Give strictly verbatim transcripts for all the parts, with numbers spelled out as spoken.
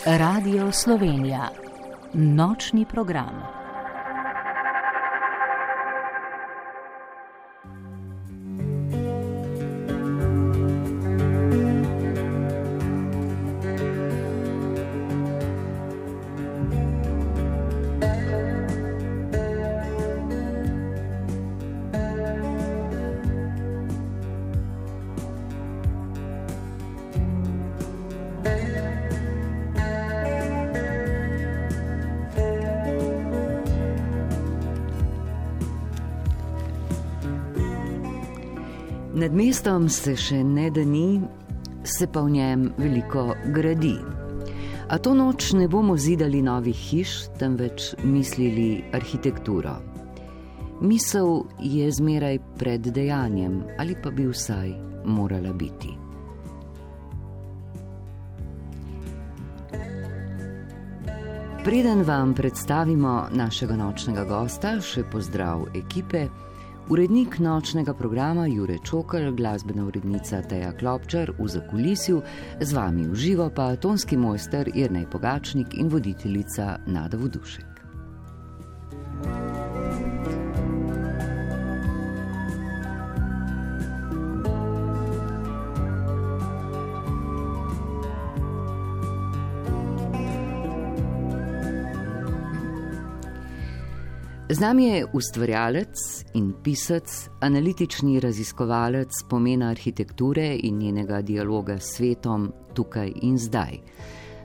Radio Slovenija. Nočni program. Nad mestom se še ne da ni, se pa v njem veliko gradi. A to noč ne bomo zidali novih hiš, temveč mislili arhitekturo. Misel je zmeraj pred dejanjem, ali pa bi vsaj morala biti. Preden vam predstavimo našega nočnega gosta, še pozdrav ekipe. Urednik nočnega programa Jure Čokl, glasbena urednica Teja Klopčar v zakulisju, z vami v živo pa tonski mojster Jernej Pogačnik in voditeljica Nada Vodušek. Z nami je ustvarjalec in pisec, analitični raziskovalec pomena arhitekture in njenega dialoga s svetom tukaj in zdaj.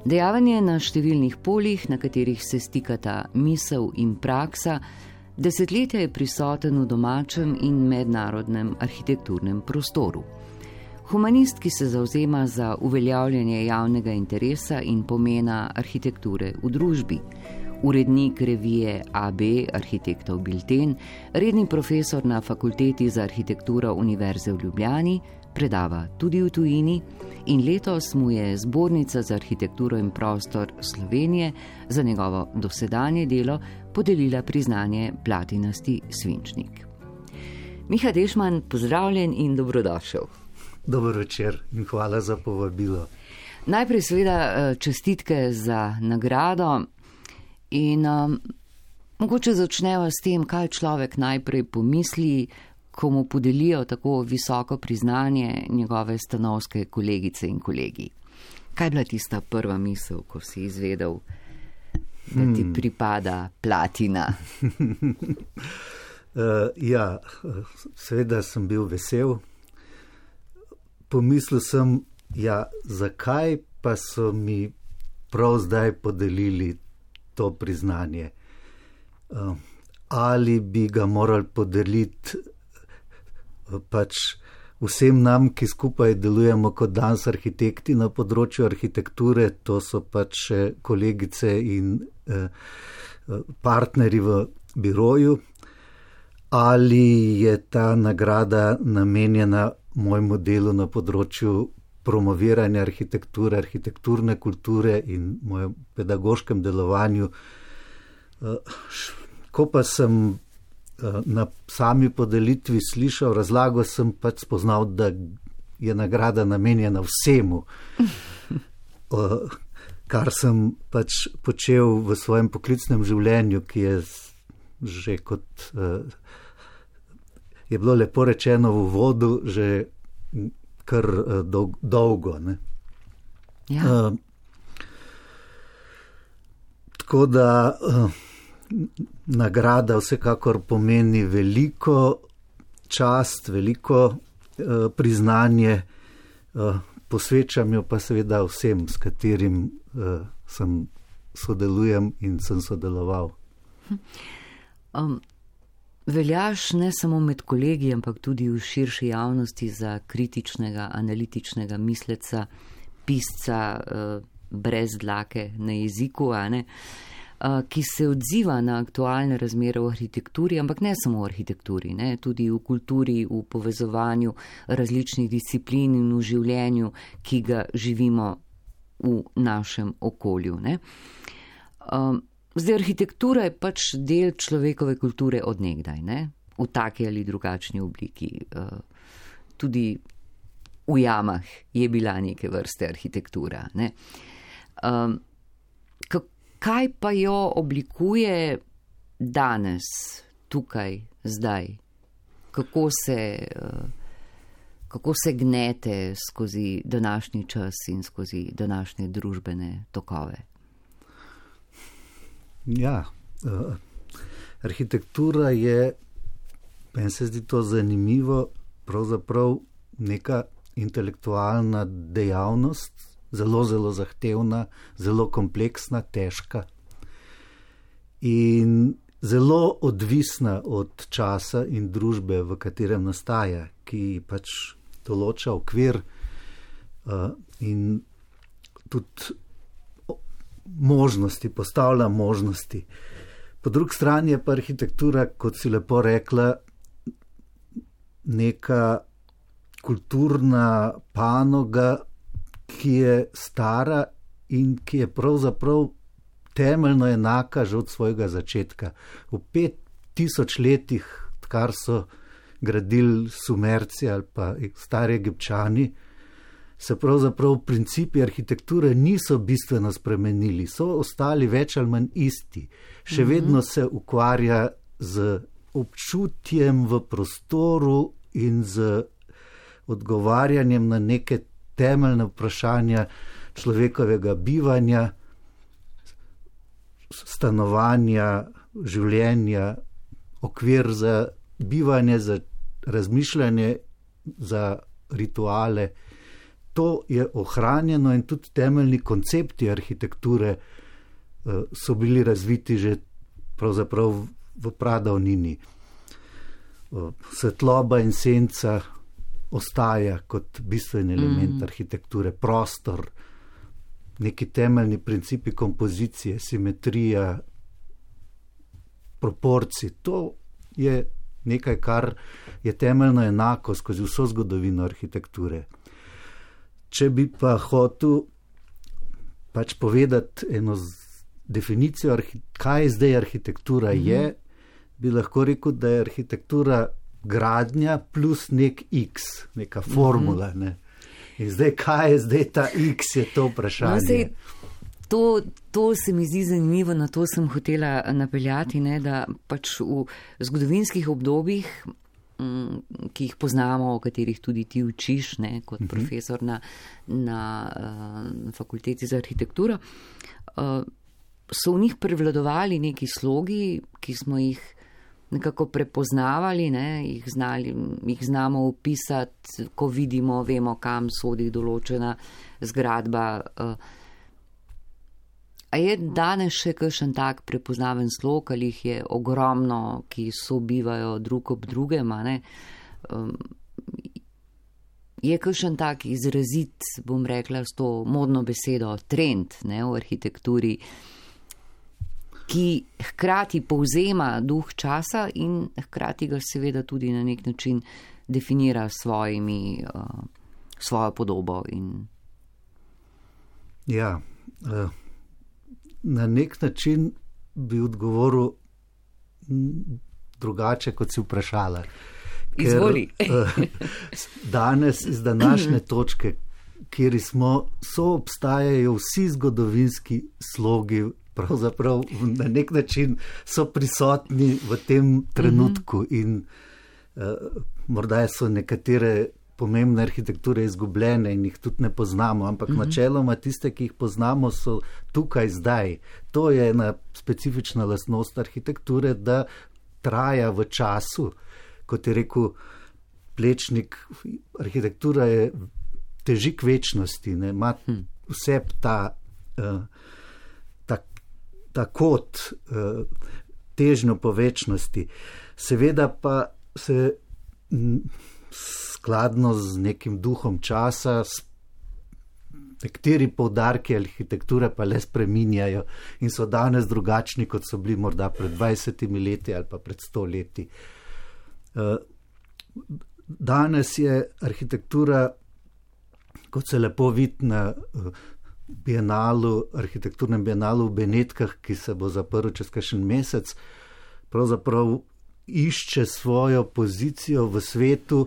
Dejaven je na številnih poljih, na katerih se stikata misel in praksa, desetletja je prisoten v domačem in mednarodnem arhitekturnem prostoru. Humanist, ki se zavzema za uveljavljanje javnega interesa in pomena arhitekture v družbi. Urednik revije A B Arhitektov Bilten, redni profesor na Fakulteti za arhitekturo Univerze v Ljubljani, predava tudi v tujini in letos mu je Zbornica za arhitekturo in prostor Slovenije za njegovo dosedanje delo podelila priznanje Platinasti svinčnik. Miha Dešman, pozdravljen in dobrodošel. Dober večer in hvala za povabilo. Najprej seveda čestitke za nagrado. In um, mogoče začneva s tem, kaj človek najprej pomisli, ko mu podelijo tako visoko priznanje njegove stanovske kolegice in kolegi. Kaj je bila tista prva misel, ko si izvedel, da ti pripada platina? uh, ja, seveda sem bil vesel. Pomislil sem, ja, zakaj pa so mi prav zdaj podelili to priznanje. Ali bi ga morali podeliti pač vsem nam, ki skupaj delujemo kot danes arhitekti na področju arhitekture, to so pač kolegice in partnerji v biroju, ali je ta nagrada namenjena mojemu delu na področju promoviranja arhitekture, arhitekturne kulture in mojem pedagoškem delovanju. Ko pa sem na sami podelitvi slišal razlago, sem pač spoznal, da je nagrada namenjena vsemu, kar sem pač počel v svojem poklicnem življenju, ki je že kot je bilo lepo rečeno v uvodu, že kar dolg, dolgo. Ne? Ja. Uh, tako da uh, nagrada vsekakor pomeni veliko čast, veliko uh, priznanje, uh, posvečam jo pa seveda vsem, s katerim uh, sem sodelujem in sem sodeloval. Um. Veljaš ne samo med kolegi, ampak tudi v širši javnosti za kritičnega, analitičnega misleca, pisca eh, brez dlake na jeziku, a ne, eh, ki se odziva na aktualne razmere v arhitekturi, ampak ne samo v arhitekturi, ne, tudi v kulturi, v povezovanju različnih disciplin in v življenju, ki ga živimo v našem okolju. Ne. Um, Zdaj, arhitektura je pač del človekove kulture od nekdaj, ne? V taki ali drugačni obliki. Tudi v jamah je bila neke vrste arhitektura. Ne? kaj pa jo oblikuje danes, tukaj, zdaj? Kako se, kako se gnete skozi današnji čas in skozi današnje družbene tokove? Ja, uh, arhitektura je, meni se zdi to zanimivo, pravzaprav neka intelektualna dejavnost, zelo, zelo zahtevna, zelo kompleksna, težka in zelo odvisna od časa in družbe, v katerem nastaja, ki pač določa okvir uh, in tudi možnosti, postavlja možnosti. Po drugi strani je pa arhitektura, kot si lepo rekla, neka kulturna panoga, ki je stara in ki je pravzaprav temeljno enaka že od svojega začetka. V pet tisoč letih, kar so gradili Sumerci ali pa stari Egipčani, se pravzaprav principi arhitekture niso bistveno spremenili, so ostali več ali manj isti. Še mm-hmm. vedno se ukvarja z občutjem v prostoru in z odgovarjanjem na neke temeljne vprašanja človekovega bivanja, stanovanja, življenja, okvir za bivanje, za razmišljanje, za rituale. To je ohranjeno in tudi temeljni koncepti arhitekture uh, so bili razviti že pravzaprav v pradavnini. Uh, svetloba in senca ostaja kot bistven element mm. arhitekture, prostor, neki temeljni principi kompozicije, simetrija, proporci. To je nekaj, kar je temeljno enako skozi vso zgodovino arhitekture. Če bi pa hotel pač povedati eno definicijo, kaj je zdaj arhitektura mm-hmm. je, bi lahko rekel, da je arhitektura gradnja plus nek X, neka formula. Mm-hmm. Ne? In zdaj, kaj je zdaj ta X, je to vprašanje. No, zdaj, to, to se mi zdi zanimivo, na to sem hotela napeljati, ne, da pač v zgodovinskih obdobjih, ki jih poznamo, o katerih tudi ti učiš, ne, kot uh-huh. profesor na, na uh, fakulteti za arhitekturo, uh, so v njih prevladovali neki slogi, ki smo jih nekako prepoznavali, ne, jih, znali, jih znamo opisati, ko vidimo, vemo, kam sodi določena zgradba. Uh, a je danes še kakšen tak prepoznaven slog, ali jih je ogromno, ki sobivajo drug ob drugem, a ne? Um, je kakšen tak izrazit, bom rekla s to modno besedo, trend, ne, v arhitekturi, ki hkrati povzema duh časa in hkrati ga seveda tudi na nek način definira svojimi, uh, svojo podobo. In... Ja, uh... na nek način bi odgovoril drugače, kot si vprašala. Izvoli. Ker, danes iz današnje točke, kjer smo, so obstajajo vsi zgodovinski slogi, pravzaprav na nek način so prisotni v tem trenutku mm-hmm. in uh, morda so nekatere pomembne arhitekture izgubljene in jih tudi ne poznamo, ampak mm-hmm. načeloma tiste, ki jih poznamo, so tukaj zdaj. To je ena specifična lastnost arhitekture, da traja v času. Kot je rekel Plečnik, arhitektura je teži k večnosti, ne? Ima vse ta, uh, ta, ta kot uh, težnjo po večnosti. Seveda pa se m, skladno z nekim duhom časa, nekateri poudarki arhitekture pa le spreminjajo in so danes drugačni, kot so bili morda pred dvajsetimi leti ali pa pred sto leti. Danes je arhitektura, kot se lepo vidi na bienalu, arhitekturnem bienalu v Benetkah, ki se bo zaprl čez kakšen mesec, pravzaprav išče svojo pozicijo v svetu,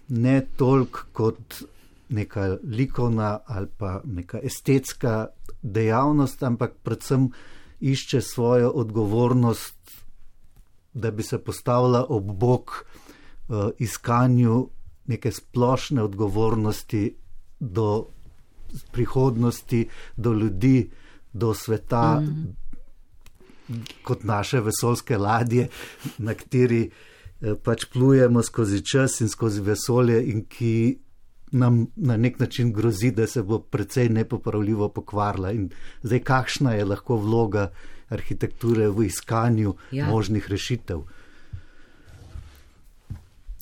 ne toliko kot neka likovna ali pa neka estetska dejavnost, ampak predvsem išče svojo odgovornost, da bi se postavila ob bok uh, iskanju neke splošne odgovornosti do prihodnosti, do ljudi, do sveta, mm. kot naše vesoljske ladje, na kateri uh, pač plujemo skozi čas in skozi vesolje in ki nam na nek način grozi, da se bo precej nepopravljivo pokvarila. In zdaj, kakšna je lahko vloga arhitekture v iskanju ja. možnih rešitev?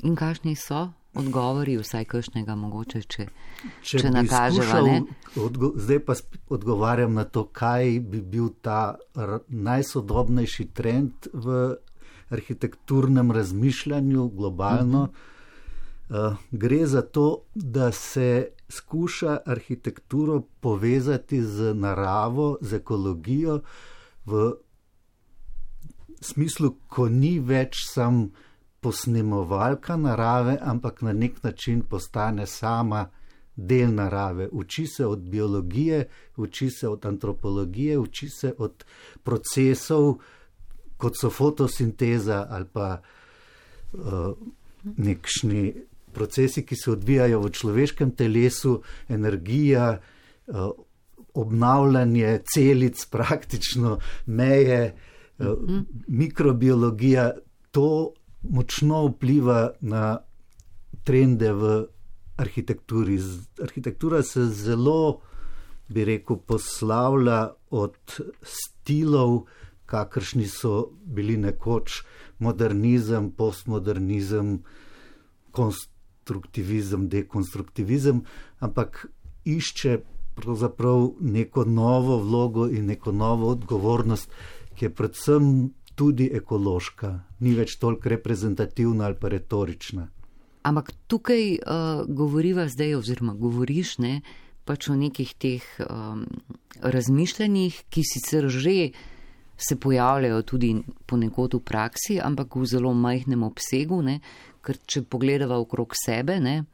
In kakšni so odgovori, vsaj kakšnega mogoče, če, če, če nakaževa, ne? Odgo- zdaj pa odgovarjam na to, kaj bi bil ta r- najsodobnejši trend v arhitekturnem razmišljanju globalno. Mm-hmm. Uh, gre za to, da se skuša arhitekturo povezati z naravo, z ekologijo v smislu, ko ni več sam posnemovalka narave, ampak na nek način postane sama del narave. Uči se od biologije, uči se od antropologije, uči se od procesov, kot so fotosinteza ali pa uh, nekšni procesi, ki se odvijajo v človeškem telesu, energija, obnavljanje celic, praktično meje, mm-hmm. mikrobiologija, to močno vpliva na trende v arhitekturi. Arhitektura se zelo, bi rekel, poslavlja od stilov, kakršni so bili nekoč modernizem, postmodernizem, konstruktivizem, dekonstruktivizem, ampak išče pravzaprav neko novo vlogo in neko novo odgovornost, ki je predvsem tudi ekološka, ni več toliko reprezentativna ali pa retorična. Ampak tukaj uh, govoriva zdaj, oziroma govoriš, ne, pač o nekih teh um, razmišljanjih, ki sicer že se pojavljajo tudi ponekod v praksi, ampak v zelo majhnem obsegu, ne, ker če pogledava okrog sebe, ne,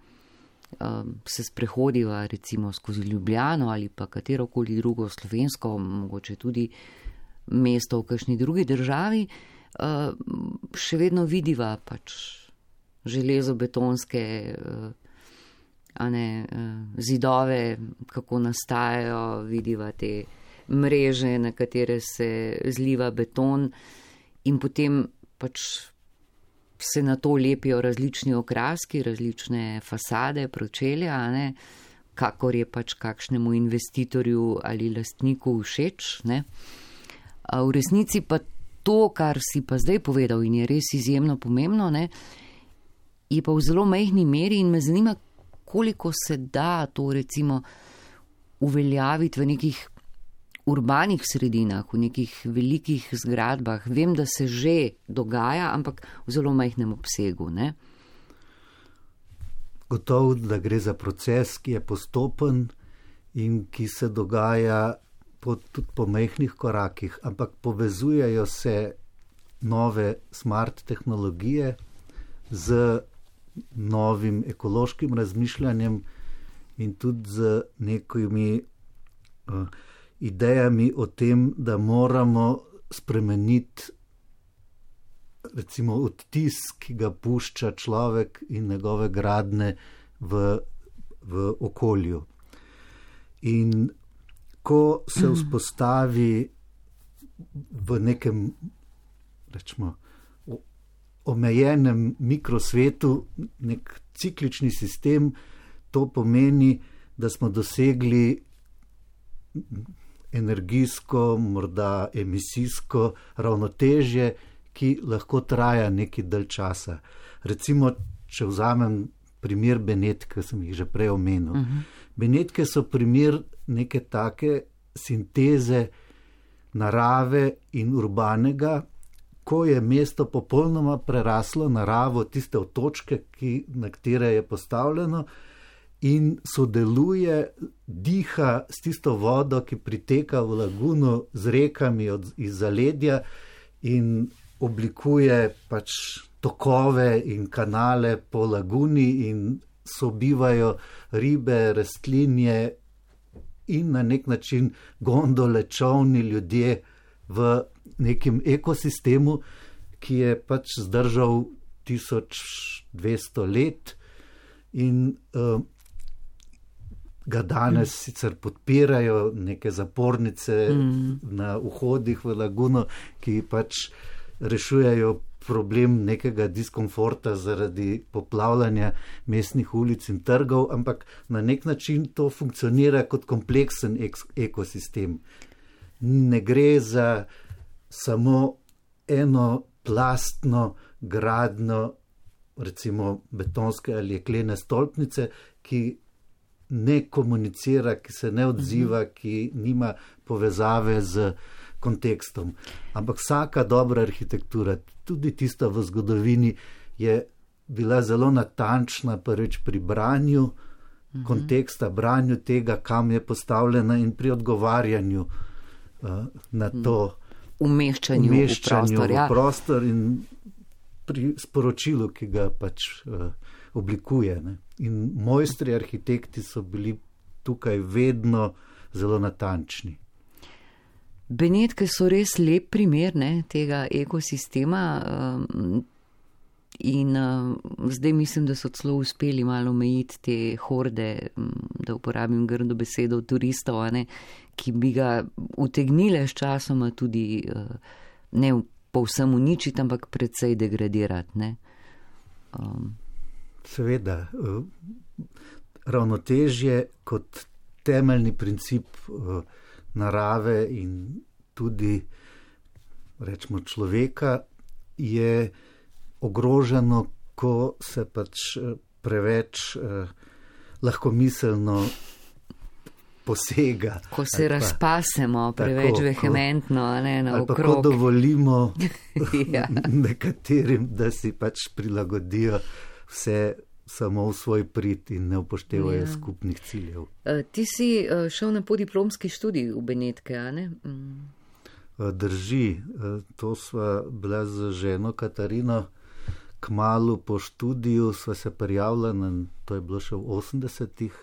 se sprehodiva recimo skozi Ljubljano ali pa katerokoli drugo slovensko, mogoče tudi mesto v kakšni drugi državi, še vedno vidiva pač železobetonske a ne, zidove, kako nastajajo, vidiva te mreže, na katere se zliva beton in potem pač se na to lepijo različni okraski, različne fasade, pročelja, ne, kakor je pač kakšnemu investitorju ali lastniku všeč, ne. A v resnici pa to, kar si pa zdaj povedal in je res izjemno pomembno, ne, je pa v zelo majhni meri in me zanima, koliko se da to recimo uveljaviti v nekih urbanih sredinah, v nekih velikih zgradbah. Vem, da se že dogaja, ampak v zelo majhnem obsegu, ne? Gotovo, da gre za proces, ki je postopen in ki se dogaja po, tudi po majhnih korakih, ampak povezujejo se nove smart tehnologije z novim ekološkim razmišljanjem in tudi z nekimi uh, idejami o tem, da moramo spremeniti recimo odtis, ki ga pušča človek in njegove gradnje v, v okolju. In ko se vzpostavi v nekem, rečemo, omejenem mikrosvetu nek ciklični sistem, to pomeni, da smo dosegli energijsko, morda emisijsko ravnotežje, ki lahko traja neki dalj časa. Recimo, če vzamem primer Benetk, ki sem jih že prej omenil. Uh-huh. Benetke so primer neke take sinteze narave in urbanega, ko je mesto popolnoma preraslo naravo, tiste otočke, ki, na katere je postavljeno, in sodeluje, diha s tisto vodo, ki priteka v laguno z rekami od, iz zaledja in oblikuje pač tokove in kanale po laguni in sobivajo ribe, rastlinje in na nek način gondole, čovni, ljudje v nekem ekosistemu, ki je pač zdržal tisoč dvesto let in uh, ga danes mm. sicer podpirajo neke zapornice mm. na vhodih v laguno, ki pač rešujejo problem nekega diskomforta zaradi poplavljanja mestnih ulic in trgov, ampak na nek način to funkcionira kot kompleksen ek- ekosistem. Ne gre za samo eno plastno gradno, recimo betonske ali jeklene stolpnice, ki ne komunicira, ki se ne odziva, ki nima povezave z kontekstom. Ampak vsaka dobra arhitektura, tudi tista v zgodovini, je bila zelo natančna prvič pri branju uh-huh. konteksta, branju tega, kam je postavljena in pri odgovarjanju uh, na to umeščanju, umeščanju v prostor, v ja. v prostor in pri sporočilu, ki ga pač uh, oblikuje. Ne. In mojstri arhitekti so bili tukaj vedno zelo natančni. Benetke so res lep primer ne, tega ekosistema um, in um, zdaj mislim, da so celo uspeli malo omejiti te horde, um, da uporabim grdo besedo, turistov, ne, ki bi ga utegnile s časoma tudi uh, ne povsem uničiti, ampak precej degradirati. Ne. Um. Seveda, uh, ravnotežje kot temeljni princip uh, narave in tudi, rečemo, človeka je ogroženo, ko se pač preveč eh, lahkomiselno posega. Ko se pa, razpasemo preveč tako, vehementno, ko, ne, na okrog. Ali pa ko dovolimo ja. nekaterim, da si pač prilagodijo vse samo v svoj prid in ne upoštevajo ja. skupnih ciljev. Uh, ti si uh, šel na podiplomski študij v Benetke, a ne? Mm. Uh, drži. Uh, to sva bila z ženo Katarino kmalu po študiju, sva se prijavila, na, to je bilo še v osemdesetih,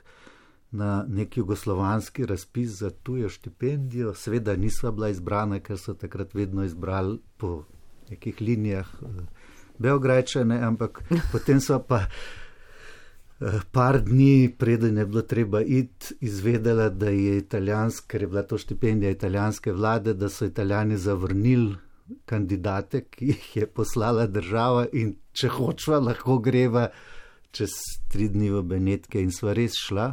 na nek jugoslovanski razpis za tujo štipendijo. Seveda nisva bila izbrana, ker so takrat vedno izbrali po nekih linijah uh, Beograjčane, ampak potem sva pa par dni, preden je bilo treba iti, izvedela, da je italijanska, ker je bila to štipendija italijanske vlade, da so Italijani zavrnili kandidate, ki jih je poslala država in če hočva, lahko greva čez tri dni v Benetke in sva res šla.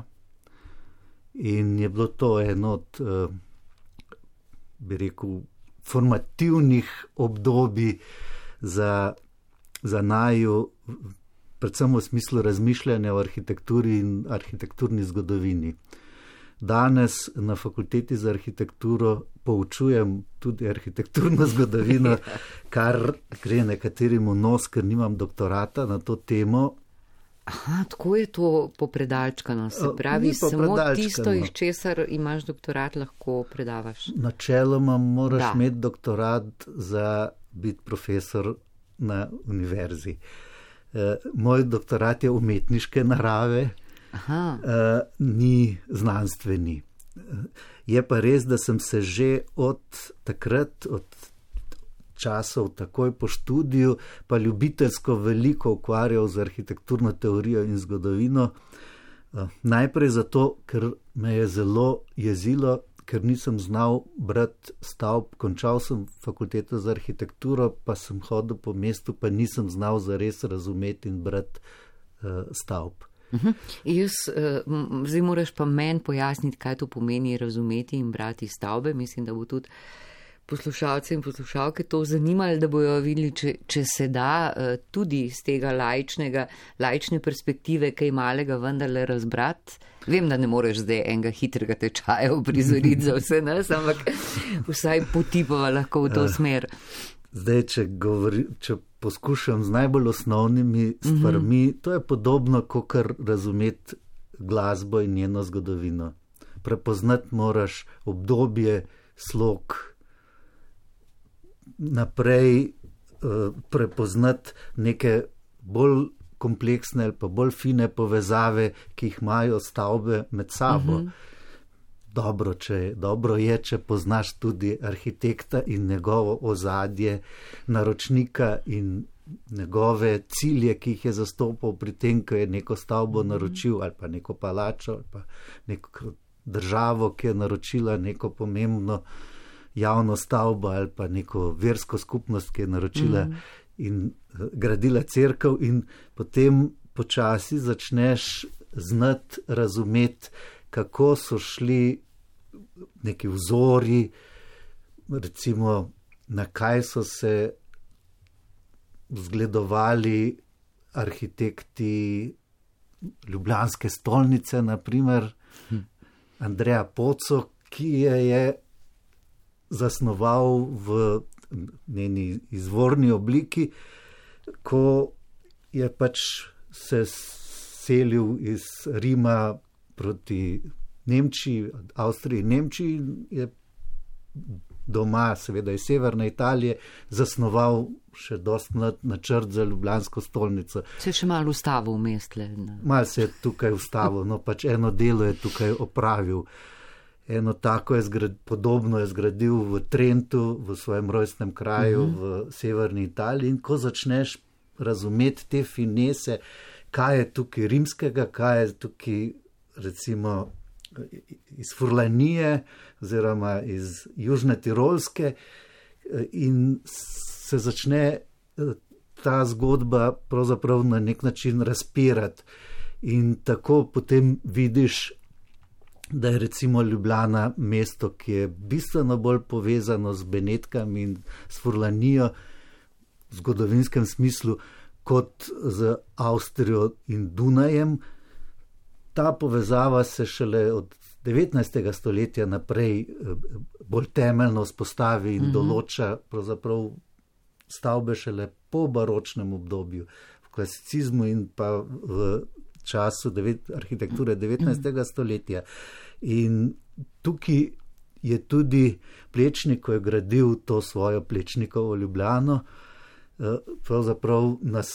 In je bilo to eno od, bi rekel, formativnih obdobij za, za naju, predvsem v smislu razmišljanja o arhitekturi in arhitekturni zgodovini. Danes na fakulteti za arhitekturo poučujem tudi arhitekturno zgodovino, kar gre nekaterim v nos, ker nimam doktorata na to temo. Aha, tako je to popredalčkano, se pravi, samo tisto, iz česar imaš doktorat, lahko predavaš. Načeloma moraš da. imeti doktorat za biti profesor na univerzi. Moj doktorat je umetniške narave, Aha. ni znanstveni. Je pa res, da sem se že od takrat, od časov takoj po študiju, pa ljubiteljsko veliko ukvarjal z arhitekturno teorijo in zgodovino. Najprej zato, ker me je zelo jezilo, ker nisem znal brati stavb. Končal sem fakulteto za arhitekturo, pa sem hodil po mestu, pa nisem znal zares razumeti in brati uh, stavb. Uh-huh. Jaz, uh, zdaj moraš pa meni pojasniti, kaj to pomeni razumeti in brati stavbe. Mislim, da bo tudi poslušalce in poslušalke to zanimali, da bojo videli, če, če se da uh, tudi z tega laičnega, laične perspektive kaj malega vendarle razbrati. Vem, da ne moreš zdaj enega hitrega tečaja uprizoriti za vse nas, ampak vsaj potipava lahko v to smer. Zdaj, če, govori, če poskušam z najbolj osnovnimi stvarmi, mm-hmm. to je podobno, kot razumeti glasbo in njeno zgodovino. Prepoznati moraš obdobje, slog, naprej uh, prepoznati neke bolj kompleksne ali pa bolj fine povezave, ki jih imajo stavbe med sabo. Mm-hmm. dobro, če, dobro je, če poznaš tudi arhitekta in njegovo ozadje, naročnika in njegove cilje, ki jih je zastopal pri tem, ko je neko stavbo naročil ali pa neko palačo ali pa neko državo, ki je naročila neko pomembno javno stavbo ali pa neko versko skupnost, ki je naročila mm. in gradila cerkev, in potem počasi začneš znati razumeti, kako so šli neki vzori, recimo na kaj so se zgledovali arhitekti ljubljanske stolnice, naprimer hm. Andreja Poco, ki je, je zasnoval v njeni izvorni obliki, ko je pač se selil iz Rima proti Nemčiji, Avstriji in Nemčiji, je doma, seveda iz severne Italije, zasnoval še dosti mlad načrt za ljubljansko stolnico. Se je še malo ustavil v mestle. Malo se je tukaj ustavil, no pač eno delo je tukaj opravil. Eno tako je zgrad, podobno je zgradil v Trentu, v svojem rojstnem kraju, uh-huh. v severni Italiji, in ko začneš razumeti te finese, kaj je tukaj rimskega, kaj je tukaj recimo iz Furlanije oziroma iz Južne Tirolske, in se začne ta zgodba pravzaprav na nek način razpirati. In tako potem vidiš, da je recimo Ljubljana mesto, ki je bistveno bolj povezano z Benetkami in s Furlanijo v zgodovinskem smislu kot z Avstrijo in Dunajem. Ta povezava se šele od devetnajstega stoletja naprej bolj temeljno vzpostavi in mm-hmm. določa pravzaprav stavbe šele po baročnem obdobju, v klasicizmu in pa v času devet, arhitekture devetnajstega stoletja. In tukaj je tudi Plečnik, ko je gradil to svojo Plečnikovo Ljubljano, pravzaprav nas,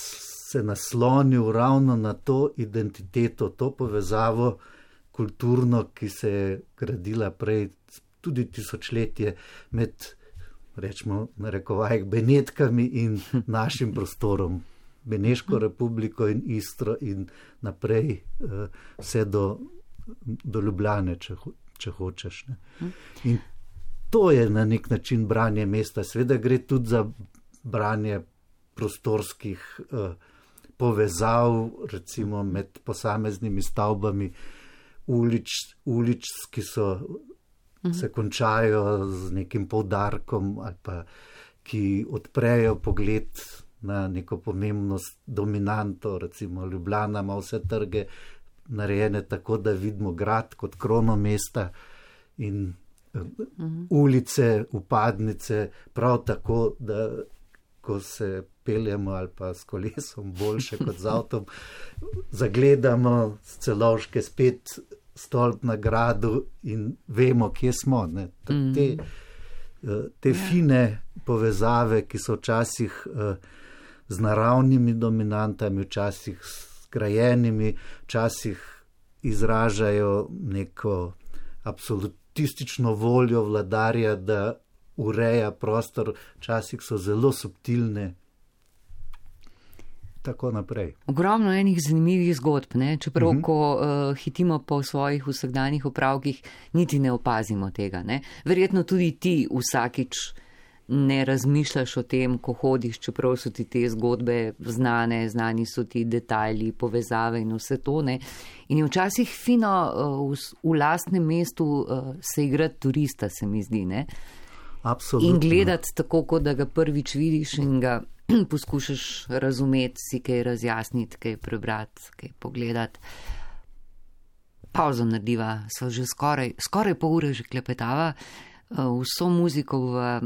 se naslonil ravno na to identiteto, to povezavo kulturno, ki se je gradila prej tudi tisočletje med, rečemo, narekovajih Benetkami in našim prostorom. Beneško republiko in Istro in naprej vse do, do Ljubljane, če, če hočeš. Ne. In to je na nek način branje mesta. Seveda gre tudi za branje prostorskih eh, povezav, recimo med posameznimi stavbami, ulič, ulič, ki so, mhm. se končajo z nekim poudarkom ali pa ki odprejo pogled na neko pomembnost dominanto, recimo Ljubljana ima vse trge narejene tako, da vidimo grad kot krono mesta in uh-huh. ulice, upadnice, prav tako, da ko se peljemo ali pa s kolesom boljše kot z avtom, zagledamo z Celovške spet stolp na gradu in vemo, kje smo. Ne? Te, te fine povezave, ki so včasih z naravnimi dominantami, včasih s grajenimi, včasih izražajo neko absolutistično voljo vladarja, da ureja prostor, včasih so zelo subtilne. Tako naprej. Ogromno enih zanimivih zgodb, ne? Čeprav, uh-huh. ko uh, hitimo po svojih vsakdanjih opravkih, niti ne opazimo tega. Ne? Verjetno tudi ti vsakič ne razmišljaš o tem, ko hodiš, čeprav so ti te zgodbe znane, znani so ti detajli, povezave in vse to. Ne? In je včasih fino uh, v, v lastnem mestu uh, se igrati turista, se mi zdi. Ne? Absolutno. In gledati tako, kot da ga prvič vidiš in ga poskušaš razumeti, si kaj razjasniti, kaj prebrati, kaj pogledati. Pauzo narediva, so že skoraj, skoraj pol ure že klepetava, vso muziko v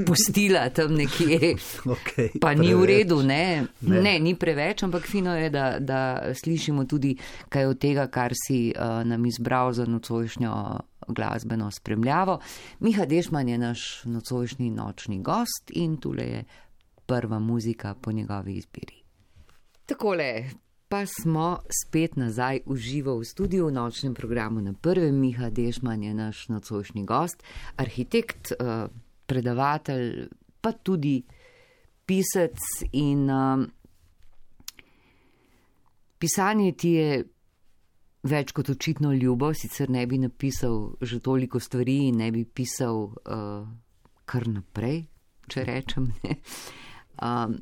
pustila tam nekje, okay, pa ni v redu, ne? Ne. ne, ni preveč, ampak fino je, da, da slišimo tudi kaj od tega, kar si uh, nam izbral za nocojšnjo glasbeno spremljavo. Miha Dešman je naš nocojšnji nočni gost in tule je prva muzika po njegovi izbiri. Takole, pa smo spet nazaj v živo v studiu v nočnem programu na prvem. Miha Dežman je naš nocojšnji gost, arhitekt, predavatelj, pa tudi pisec in uh, pisanje ti je več kot očitno ljubo, sicer ne bi napisal že toliko stvari in ne bi pisal uh, kar naprej, če rečem. Ne? Um,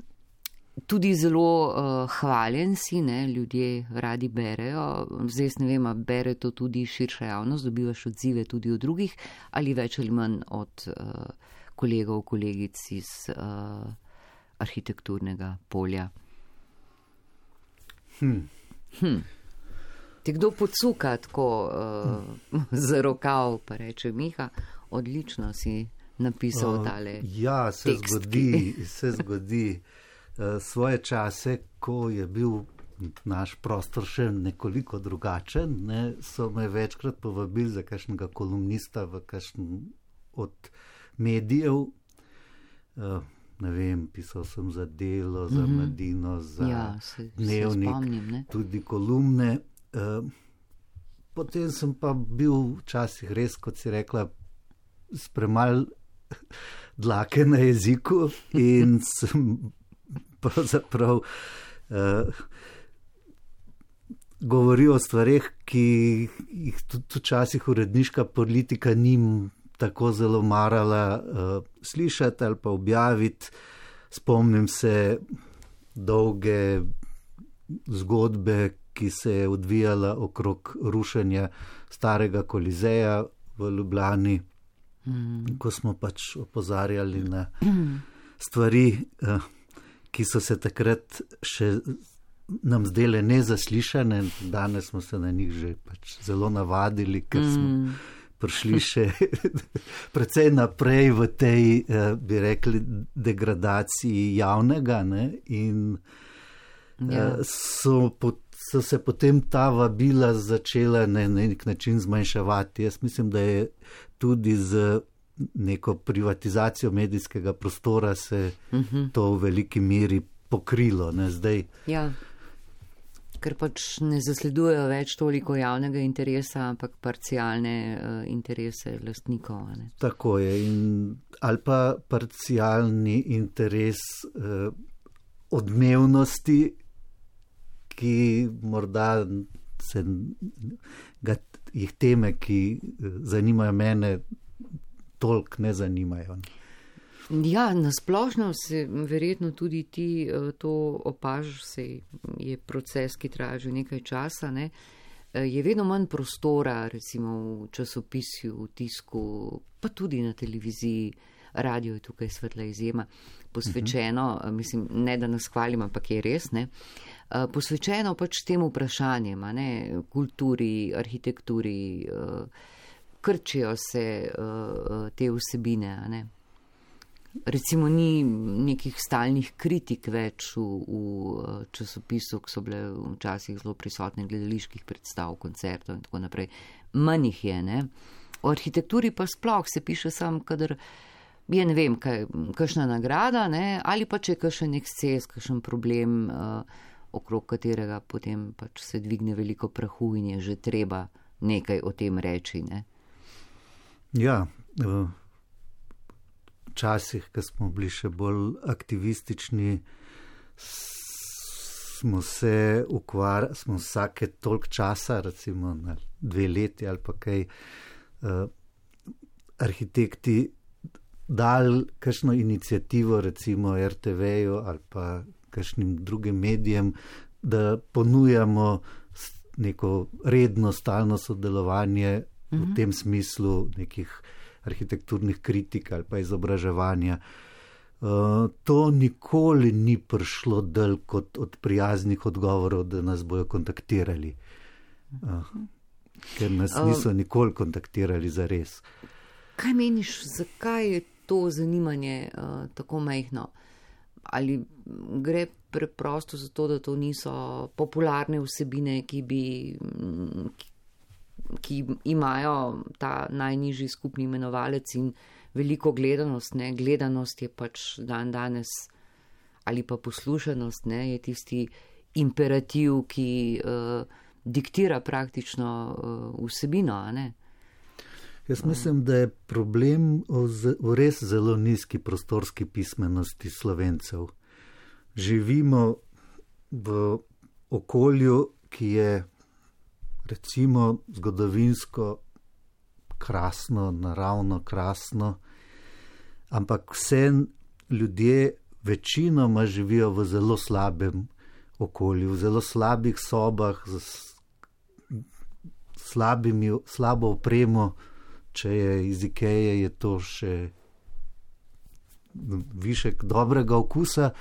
tudi zelo uh, hvaljen si, ne? Ljudje radi berejo, zdaj ne vem, bere to tudi širša javnost, dobivaš odzive tudi od drugih ali več ali manj od uh, kolegov, kolegic iz uh, arhitekturnega polja. Hm. Hm. Ti kdo podsuka tako uh, za rokav, pa reče Miha, odlično si napisal uh, tale ja, se tekst. Zgodi, se zgodi. Uh, svoje čase, ko je bil naš prostor še nekoliko drugačen, ne, so me večkrat povabili za kakšnega kolumnista v kakšen od medijev. Uh, ne vem, pisal sem za Delo, za mm-hmm. Mladino, za ja, se, Dnevnik, se spomnim, tudi kolumne. Uh, potem sem pa bil včasih res, kot si rekla, s premal dlake na jeziku in sem pravzaprav uh, govoril o stvareh, ki jih tudi včasih uredniška politika nim tako zelo marala uh, slišati ali pa objaviti. Spomnim se dolge zgodbe, ki se je odvijala okrog rušenja starega Kolizeja v Ljubljani, mm. ko smo pač opozarjali na stvari, uh, ki so se takrat še nam zdele nezaslišane, danes smo se na njih že pač zelo navadili, ker smo mm. prišli še precej naprej v tej, bi rekli, degradaciji javnega, ne, in ja. so, so se potem ta vabila začela na nek način zmanjševati. Jaz mislim, da je tudi z neko privatizacijo medijskega prostora se uh-huh. to v veliki meri pokrilo, ne, zdaj. Ja. Ker pač ne zasledujejo več toliko javnega interesa, ampak parcialne uh, interese lastnikov. Ne? Tako je. In, ali pa parcialni interes uh, odmevnosti, ki morda se ga, jih teme, ki zanimajo mene, toliko ne zanimajo. Ja, nasplošno se verjetno tudi ti to opažaš, se je proces, ki traja že nekaj časa, ne? Je vedno manj prostora, recimo v časopisju, v tisku, pa tudi na televiziji, radio je tukaj svetla izjema, posvečeno, uh-huh. mislim, ne da nas hvalim, ampak je res, ne, posvečeno pač tem vprašanjem, ne, kulturi, arhitekturi, krčijo se te vsebine, ne. Recimo ni nekih stalnih kritik več v, v časopisu, ki so bile včasih zelo prisotne gledaliških predstav, koncertov in tako naprej. Manj jih je, ne. O arhitekturi pa sploh se piše sam, kadar je, ne vem, kaj, kakšna nagrada, ne, ali pa če je kakšen eksces, kakšen problem, uh, okrog katerega potem pač se dvigne veliko prahu in je že treba nekaj o tem reči, ne. Ja, uh... Včasih, ko smo bili še bolj aktivistični, smo se ukvarjali, smo vsake toliko časa, recimo na dve leti ali pa kaj, uh, arhitekti dali kakšno inicijativo, recimo er te veju ali pa kakšnim drugim medijem, da ponujamo neko redno, stalno sodelovanje mm-hmm. v tem smislu nekih arhitekturnih kritik ali pa izobraževanja. Uh, to nikoli ni prišlo del kot od prijaznih odgovorov, da nas bojo kontaktirali. Uh, ker nas niso nikoli kontaktirali za res. Kaj meniš, zakaj je to zanimanje uh, tako majhno? Ali gre preprosto za to, da to niso popularne vsebine, ki bi... Ki ki imajo ta najnižji skupni imenovalec in veliko gledanost, ne, gledanost je pač dan danes ali pa poslušanost, ne, je tisti imperativ, ki uh, diktira praktično uh, vsebino, a ne? Jaz mislim, da je problem v, v res zelo nizki prostorski pismenosti Slovencev. Živimo v okolju, ki je recimo zgodovinsko krasno, naravno krasno, ampak vse ljudje večinoma živijo v zelo slabem okolju, v zelo slabih sobah, z slabimi, slabo opremo, če je iz Ikeje, je to še višek dobrega okusa,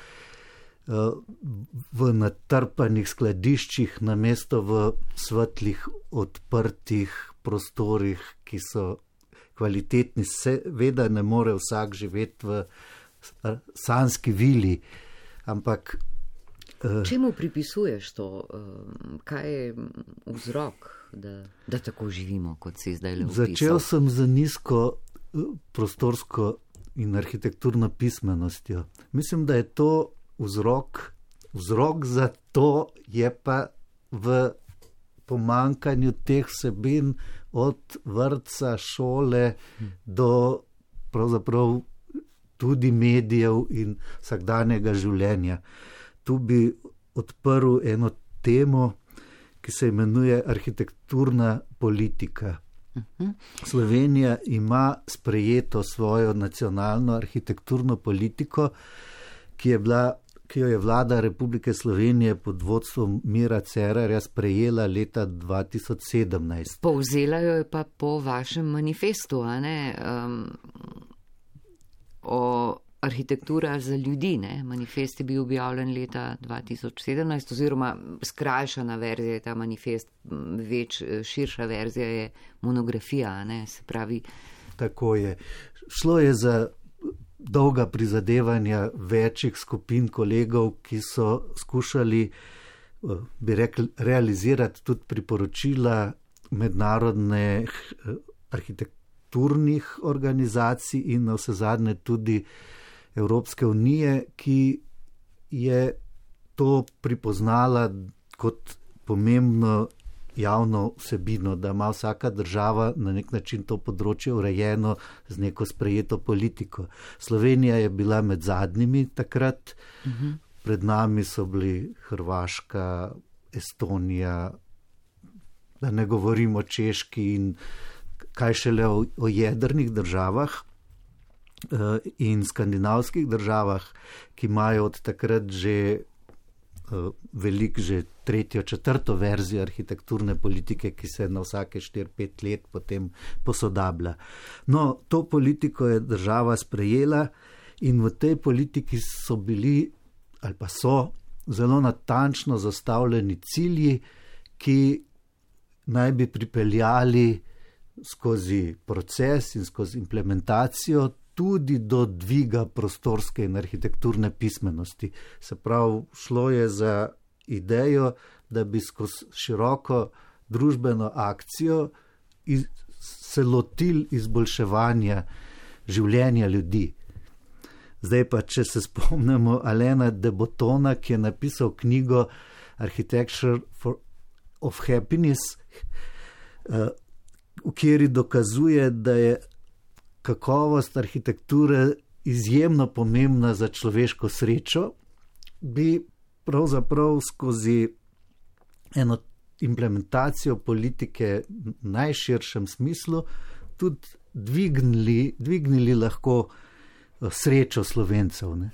v natrpanih skladiščih, namesto v svetlih, odprtih prostorih, ki so kvalitetni. Seveda ne more vsak živeti v sanski vili, ampak... Čemu pripisuješ to? Kaj je vzrok, da, da tako živimo, kot si zdaj le opisal? Začel sem z nizko prostorsko in arhitekturno pismenostjo. Mislim, da je to vzrok. Vzrok za to je pa v pomankanju teh vsebin od vrtca, šole do pravzaprav tudi medijev in vsakdanjega življenja. Tu bi odprl eno temo, ki se imenuje arhitekturna politika. Uh-huh. Slovenija ima sprejeto svojo nacionalno arhitekturno politiko, ki je bila, ki jo je vlada Republike Slovenije pod vodstvom Mira Cerarja sprejela leta dva tisoč sedemnajst. Povzela jo je pa po vašem manifestu, a ne? Um, o arhitektura za ljudi, ne? Manifest je bil objavljen leta dva tisoč sedemnajst, oziroma skrajšana verzija je ta manifest, več širša verzija je monografija, ne? Se pravi... Tako je. Šlo je za dolga prizadevanja večjih skupin kolegov, ki so skušali, bi rekli, realizirati tudi priporočila mednarodnih arhitekturnih organizacij in na vsezadnje tudi Evropske unije, ki je to pripoznala kot pomembno javno vsebino, da ima vsaka država na nek način to področje urejeno z neko sprejeto politiko. Slovenija je bila med zadnjimi takrat, uh-huh. Pred nami so bili Hrvaška, Estonija, da ne govorimo o Češki in kaj šele o, o jedrnih državah in skandinavskih državah, ki imajo od takrat že veliko, že tretjo, četrto verzijo arhitekturne politike, ki se na vsake štiri, pet let potem posodablja. No, to politiko je država sprejela in v tej politiki so bili, ali pa so, zelo natančno zastavljeni cilji, ki naj bi pripeljali skozi proces in skozi implementacijo tudi do dviga prostorske in arhitekturne pismenosti. Se pravi, šlo je za idejo, da bi skozi široko družbeno akcijo iz, se lotili izboljševanja življenja ljudi. Zdaj pa, če se spomnimo Alaina de Botona, ki je napisal knjigo Architecture for, of Happiness, v kateri dokazuje, da je kakovost arhitekture izjemno pomembna za človeško srečo, bi pravzaprav skozi eno implementacijo politike v najširšem smislu tudi dvignili, dvignili lahko srečo Slovencev. Ne?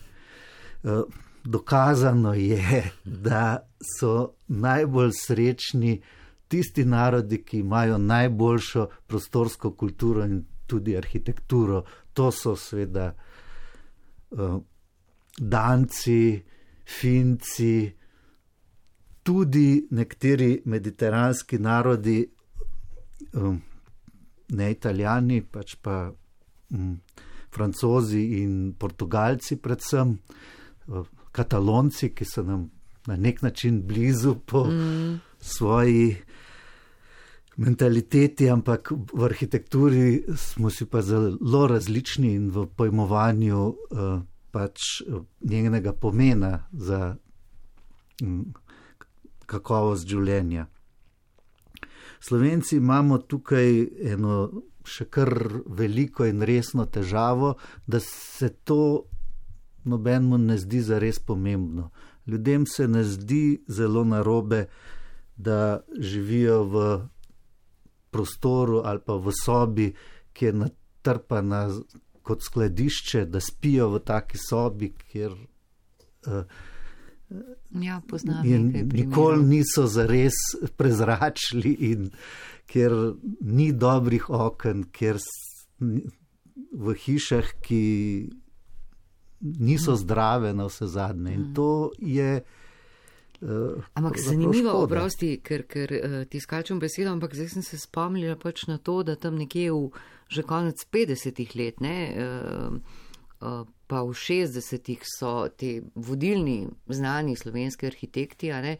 Dokazano je, da so najbolj srečni tisti narodi, ki imajo najboljšo prostorsko kulturo in tudi arhitekturo. To so seveda uh, Danci, Finci, tudi nekateri mediteranski narodi, um, ne Italijani, pač pa um, Francozi in Portugalci predvsem, uh, Katalonci, ki so nam na nek način blizu po mm. svoji mentaliteti, ampak v arhitekturi smo si pa zelo različni in v pojmovanju uh, pač njenega pomena za um, kakovost življenja. Slovenci imamo tukaj eno še kar veliko in resno težavo, da se to nobenemu ne zdi zares pomembno. Ljudem se ne zdi zelo narobe, da živijo v prostoru ali pa v sobi, ki je natrpana kot skladišče, da spijo v taki sobi, kjer uh, ja, poznam in nekaj primerov. Nikoli niso zares prezračili in kjer ni dobrih oken, kjer v hišah, ki niso zdrave na vse zadnje. In to je uh, ampak zanimivo, oprosti, ker, ker uh, ti skačem besedo, ampak zdaj sem se spomnila pač na to, da tam nekje v že konec petdesetih let, ne, uh, uh, pa v šestdesetih so te vodilni znani slovenski arhitekti, a ne,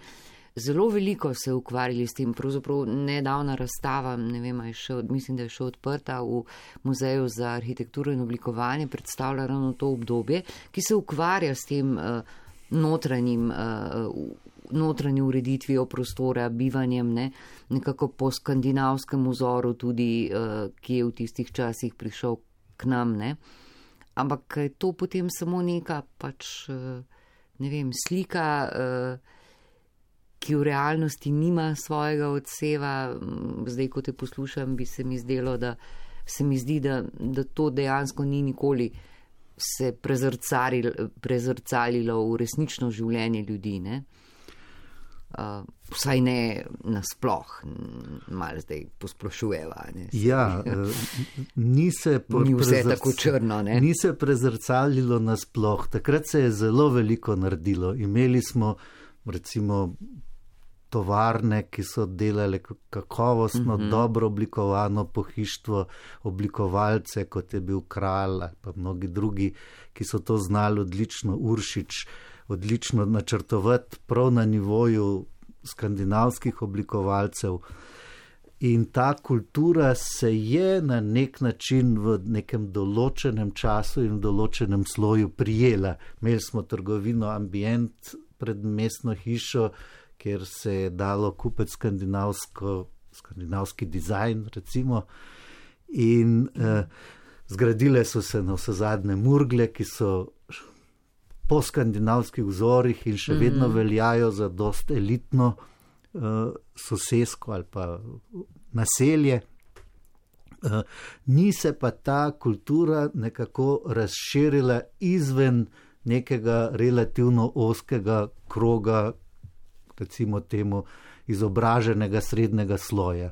zelo veliko se ukvarjali s tem. Pravzaprav nedavna razstava, ne vem, je še, mislim, da je še odprta v Muzeju za arhitekturo in oblikovanje, predstavlja ravno to obdobje, ki se ukvarja s tem uh, notranjim, uh, notranji ureditvijo prostora, bivanjem, ne, nekako po skandinavskem vzoru tudi, uh, ki je v tistih časih prišel k nam, ne. Ampak je to potem samo neka pač, uh, ne vem, slika, uh, ki v realnosti nima svojega odseva. Zdaj, ko te poslušam, bi se mi zdelo, da se mi zdi, da, da to dejansko ni nikoli se prezrcalilo, prezrcalilo v resnično življenje ljudi, ne? Uh, vsaj ne nasploh, malo zdaj posplošujeva. Ne? Ja, ni se, ni vse tako črno, ne? Ni se prezrcalilo nasploh. Takrat se je zelo veliko naredilo. Imeli smo recimo tovarne, ki so delale kakovostno, mm-hmm. dobro oblikovano pohištvo, oblikovalce, kot je bil Kralj, pa mnogi drugi, ki so to znali odlično, Uršič, odlično načrtovati prav na nivoju skandinavskih oblikovalcev. In ta kultura se je na nek način v nekem določenem času in v določenem sloju prijela. Imeli smo trgovino Ambient pred mestno hišo, kjer se je dalo kupiti skandinavsko, skandinavski dizajn, recimo, in eh, zgradile so se na vse zadnje Murgle, ki so po skandinavskih vzorih in še vedno mm. veljajo za dost elitno eh, sosesko ali pa naselje. Eh, ni se pa ta kultura nekako razširila izven nekega relativno ozkega kroga, recimo temu izobraženega srednjega sloja.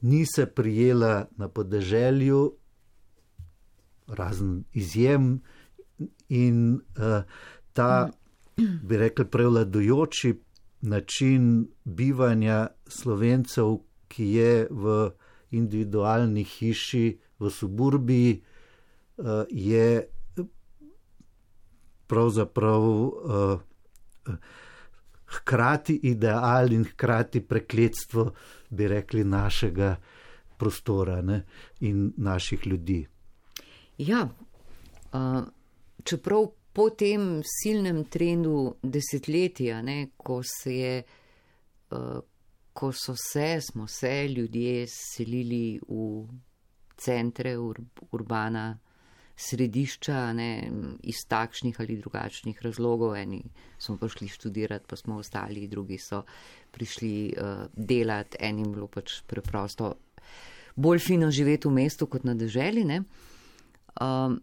Ni se prijela na podeželju, razen izjem, in uh, ta, bi rekli, prevladujoči način bivanja Slovencev, ki je v individualni hiši v suburbiji, uh, je pravzaprav uh, hkrati ideal in hkrati prekletstvo, bi rekli, našega prostora, ne, in naših ljudi. Ja, uh, čeprav po tem silnem trendu desetletja, ne, ko se je, uh, ko so se, smo se ljudje selili v centre, ur, urbana središča, ne, iz takšnih ali drugačnih razlogov. Eni smo prišli študirati, pa smo ostali, drugi so prišli uh, delati, enim bilo pač preprosto bolj fino živeti v mestu kot na deželi, ne. Uh,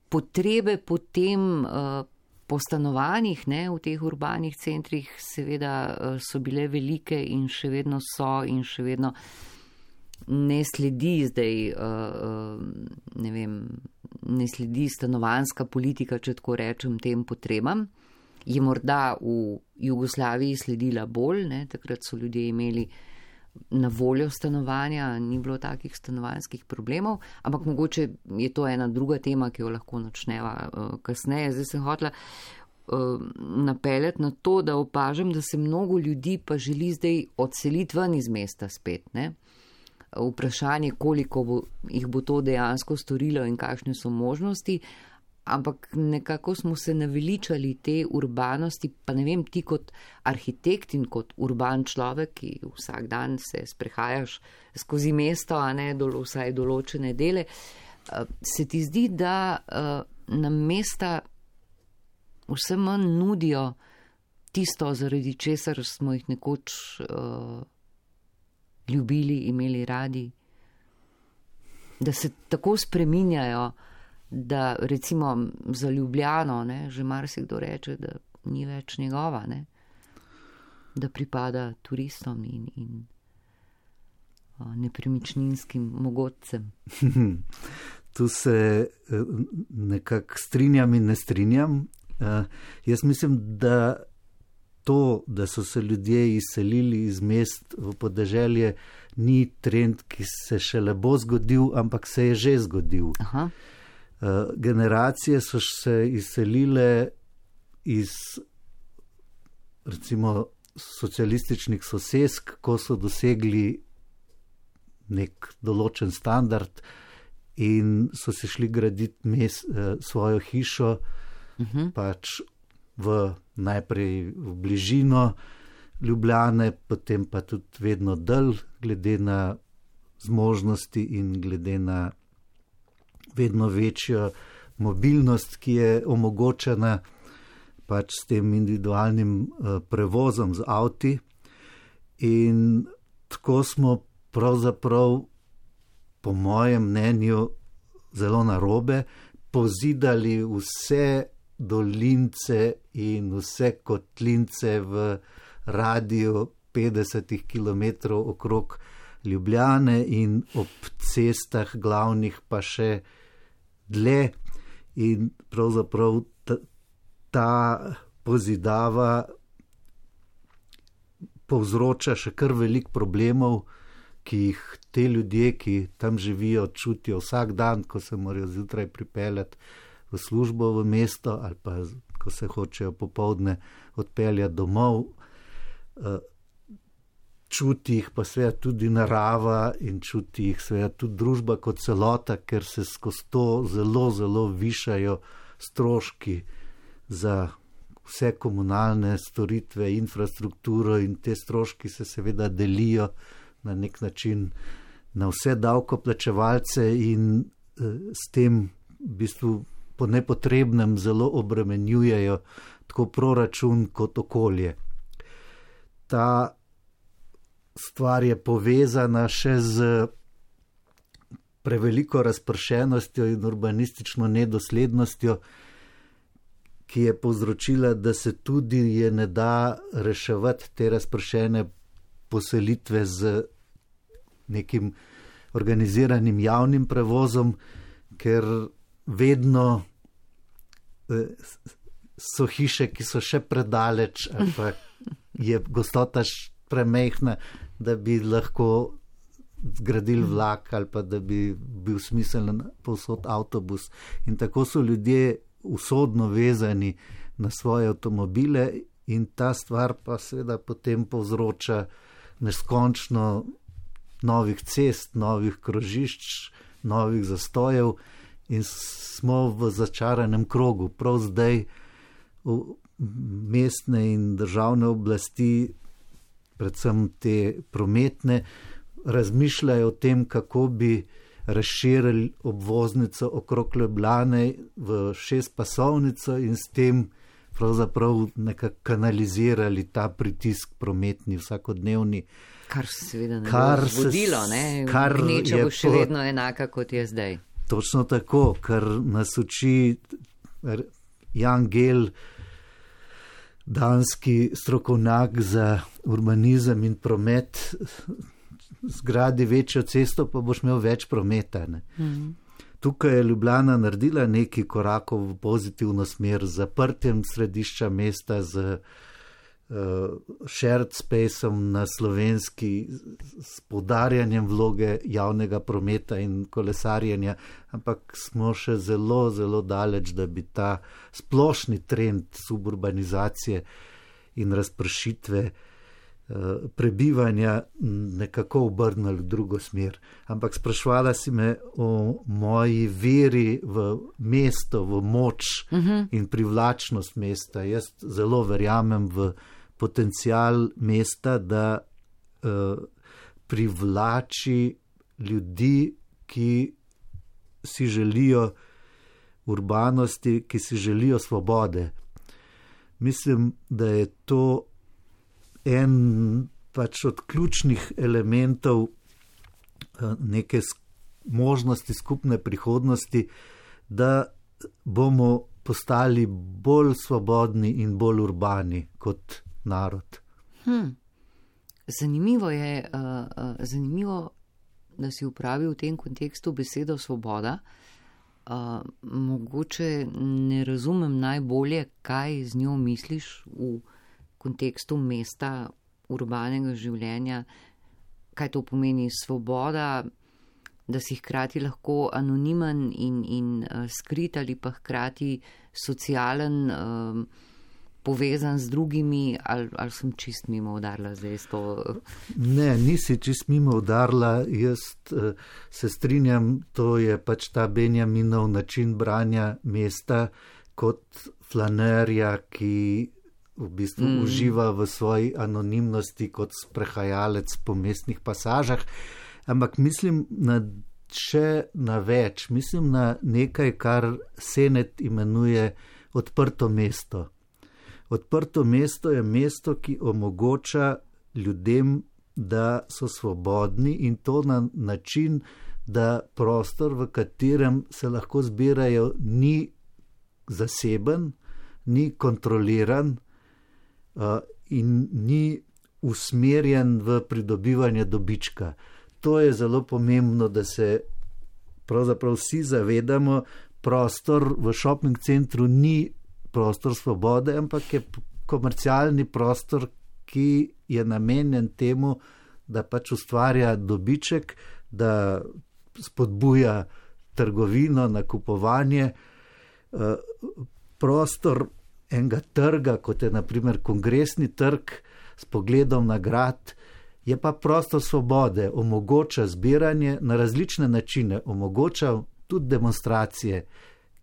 potrebe potem uh, po stanovanjih, ne, v teh urbanih centrih seveda uh, so bile velike in še vedno so in še vedno ne sledi zdaj, uh, ne vem, ne sledi stanovanjska politika, če tako rečem, tem potrebam. Je morda v Jugoslaviji sledila bolj, ne, takrat so ljudje imeli na voljo stanovanja, ni bilo takih stanovanjskih problemov, ampak mogoče je to ena druga tema, ki jo lahko načneva uh, kasneje. Zdaj sem hotela uh, napeljati na to, da opažam, da se mnogo ljudi pa želi zdaj odseliti ven iz mesta spet, ne. Vprašanje, koliko bo, jih bo to dejansko storilo in kakšne so možnosti, ampak nekako smo se naveličali te urbanosti, pa ne vem, ti kot arhitekt in kot urban človek, ki vsak dan se sprehajaš skozi mesto, a ne dolo, vsaj določene dele, se ti zdi, da nam mesta vse manj nudijo tisto, zaradi česar smo jih nekoč uh, ljubili, imeli radi, da se tako spreminjajo, da recimo za Ljubljano, ne, že marsikdo reče, da ni več njegova, ne, da pripada turistom in, in uh, nepremičninskim mogodcem. Tu se nekako strinjam in ne strinjam. Uh, jaz mislim, da to, da so se ljudje izselili iz mest v podeželje, ni trend, ki se šele bo zgodil, ampak se je že zgodil. Aha. Uh, generacije so se izselile iz recimo socialističnih sosesk, ko so dosegli nek določen standard in so se šli graditi mes, uh, svojo hišo, uh-huh. pač v najprej v bližino Ljubljane, potem pa tudi vedno dalj, glede na zmožnosti in glede na vedno večjo mobilnost, ki je omogočena pač s tem individualnim uh, prevozom z avti. In tako smo pravzaprav, po mojem mnenju, zelo narobe pozidali vse dolince in vse kotlince v radiju petdesetih kilometrov okrog Ljubljane in ob cestah glavnih pa še dlje. In pravzaprav ta, ta pozidava povzroča še kar veliko problemov, ki jih te ljudje, ki tam živijo, čutijo vsak dan, ko se morajo zjutraj pripeljati v službo v mesto ali pa ko se hočejo popoldne odpeljati domov. Čuti jih pa seveda tudi narava in čuti jih seveda tudi družba kot celota, ker se skozi to zelo, zelo višajo stroški za vse komunalne storitve, infrastrukturo, in te stroški se seveda delijo na nek način na vse davkoplačevalce in eh, s tem v bistvu po nepotrebnem zelo obremenjujejo tako proračun kot okolje. Ta stvar je povezana še z preveliko razpršenostjo in urbanistično nedoslednostjo, ki je povzročila, da se tudi je ne da reševati te razpršene poselitve z nekim organiziranim javnim prevozom, ker vedno so hiše, ki so še predaleč, ali pa je gostota premejhna, da bi lahko zgradili vlak ali pa da bi bil smiseln povsod avtobus. In tako so ljudje usodno vezani na svoje avtomobile in ta stvar pa seveda potem povzroča neskončno novih cest, novih krožišč, novih zastojev in smo v začaranem krogu. Prav zdaj mestne in državne oblasti, predvsem te prometne, razmišljajo o tem, kako bi razširili obvoznico okrog Ljubljane v šestpasovnico in s tem pravzaprav nekako kanalizirali ta pritisk prometni, vsakodnevni. Kar se seveda ne bo zgodilo, ne? Gneča bo še vedno enaka, kot je zdaj. Točno tako, kar nas uči Jan Gehl, danski strokovnjak za urbanizem in promet. Zgradi večjo cesto, pa boš imel več prometa. Ne? Mm. Tukaj je Ljubljana naredila nekaj korakov v pozitivno smer z zaprtjem središča mesta, z uh, shared spaceom na slovenski, s poudarjanjem vloge javnega prometa in kolesarjenja, ampak smo še zelo, zelo daleč, da bi ta splošni trend suburbanizacije in razpršitve prebivanja nekako obrnili v drugo smer. Ampak sprašvala si me o moji veri v mesto, v moč uh-huh. in privlačnost mesta. Jaz zelo verjamem v potencial mesta, da uh, privlači ljudi, ki si želijo urbanosti, ki si želijo svobode. Mislim, da je to en pač od ključnih elementov neke možnosti skupne prihodnosti, da bomo postali bolj svobodni in bolj urbani kot narod. Hmm. Zanimivo je, uh, uh, zanimivo, da si uporabil v tem kontekstu besedo svoboda. Uh, mogoče ne razumem najbolje, kaj z njo misliš v kontekstu mesta, urbanega življenja, kaj to pomeni svoboda, da si hkrati lahko anonimen in, in uh, skrit ali pa hkrati socialen, uh, povezan z drugimi, ali, ali sem čist mimo udarila zdaj s to? Ne, nisi čist mimo udarila, jaz uh, se strinjam, to je pač ta Benjaminov način branja mesta kot flanerja, ki v bistvu mm. uživa v svoji anonimnosti kot sprehajalec po mestnih pasažah, ampak mislim na še na več, mislim na nekaj, kar Senet imenuje odprto mesto. Odprto mesto je mesto, ki omogoča ljudem, da so svobodni in to na način, da prostor, v katerem se lahko zbirajo, ni zaseben, ni kontroliran, Uh, in ni usmerjen v pridobivanje dobička. To je zelo pomembno, da se pravzaprav vsi zavedamo, prostor v shopping centru ni prostor svobode, ampak je komercialni prostor, ki je namenjen temu, da pač ustvarja dobiček, da spodbuja trgovino, nakupovanje. Uh, prostor enega trga, kot je na primer kongresni trg s pogledom na grad, je pa prostor svobode, omogoča zbiranje na različne načine, omogoča tudi demonstracije,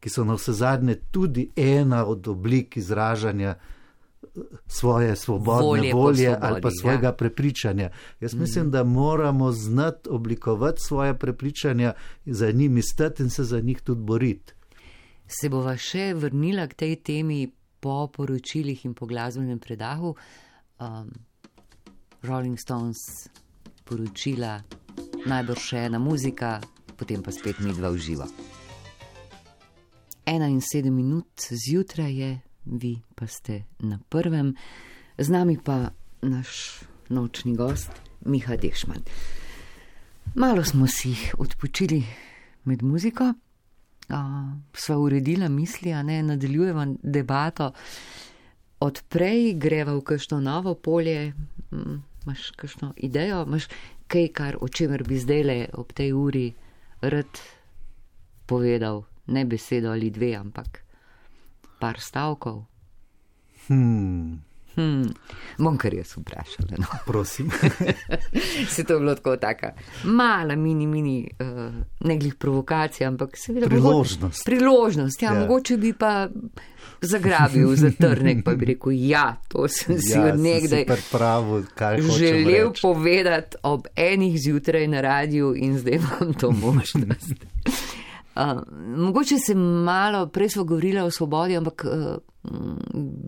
ki so na vsezadnje tudi ena od oblik izražanja svoje svobodne volje, volje svobodi, ali pa svojega ja. prepričanja. Jaz mm. mislim, da moramo znati oblikovati svoje prepričanja, za njimi stati in se za njih tudi boriti. Se bova še vrnila k tej temi po poročilih in po glasbenem predahu. Um, Rolling Stones, poročila, najbrž še ena muzika, potem pa spet midva v živo. Ena in sedem minut zjutraj je, vi pa ste na prvem, z nami pa naš nočni gost, Miha Dešman. Malo smo si odpočili med muziko, Uh, sva uredila misli, a ne, nadaljujeva debato. Odprej greva v kakšno novo polje, imaš kakšno idejo, imaš kaj, kar, o čemer bi zdajle ob tej uri rad povedal, ne besedo ali dve, ampak par stavkov. Hmm. Hmm. Bom kar jaz vprašala. No. Prosim. Se to je bilo tako taka mala, mini, mini, uh, ne glih provokacija, ampak seveda priložnost. Bo, priložnost, ja, ja. Mogoče bi pa zagrabil za trnek, pa bi rekel, ja, to sem si ja, od nekdaj pravu, želel povedati ob enih zjutraj na radiju in zdaj imam to možnost. Uh, mogoče se malo, prej smo govorila o svobodi, ampak uh,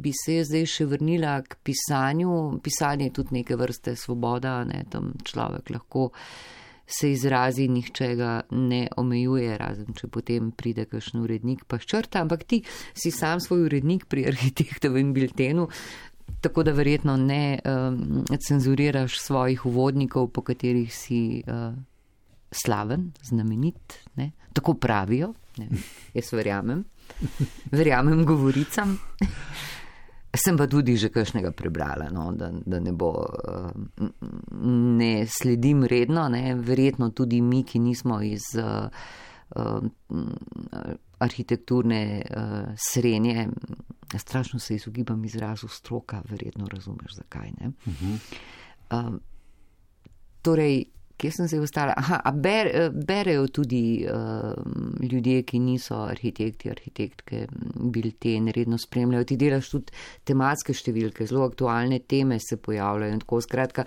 bi se zdaj še vrnila k pisanju. Pisanje je tudi neke vrste svoboda, ne, tam človek lahko se izrazi, nihče ga ne omejuje, razen če potem pride kakšen urednik pa ščrta, ampak ti si sam svoj urednik pri Arhitektovem biltenu, tako da verjetno ne um, cenzuriraš svojih uvodnikov, po katerih si uh, slaven, znamenit, ne? Tako pravijo, ne? Jaz verjamem, verjamem govoricam. Sem pa tudi že kakšnega prebrala, no? da, da ne bo, ne sledim redno, ne? Verjetno tudi mi, ki nismo iz uh, uh, arhitekturne uh, srenje, strašno se izogibam izrazu stroka, verjetno razumeš zakaj, ne? Uh-huh. Um, torej, kje sem se ostala? Aha, a ber, berejo tudi uh, ljudje, ki niso arhitekti, arhitektke, bilten, redno spremljajo. Ti delaš tudi tematske številke, zelo aktualne teme se pojavljajo in tako. Skratka,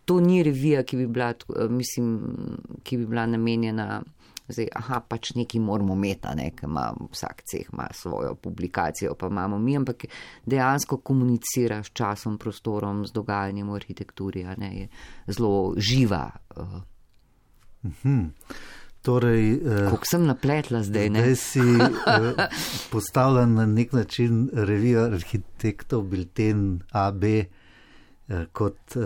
to ni revija, ki bi bila, mislim, ki bi bila namenjena, zdaj, aha, pač neki moramo meta, ne, ker ima vsak ceh ima svojo publikacijo, pa imamo mi, ampak dejansko komunicira s časom, prostorom, z dogajanjem v arhitekturi, a ne, je zelo živa. Mhm. Torej, kako sem napletla zdaj, ne? Zdaj si postavlja na nek način revija arhitektov, bilten A B kot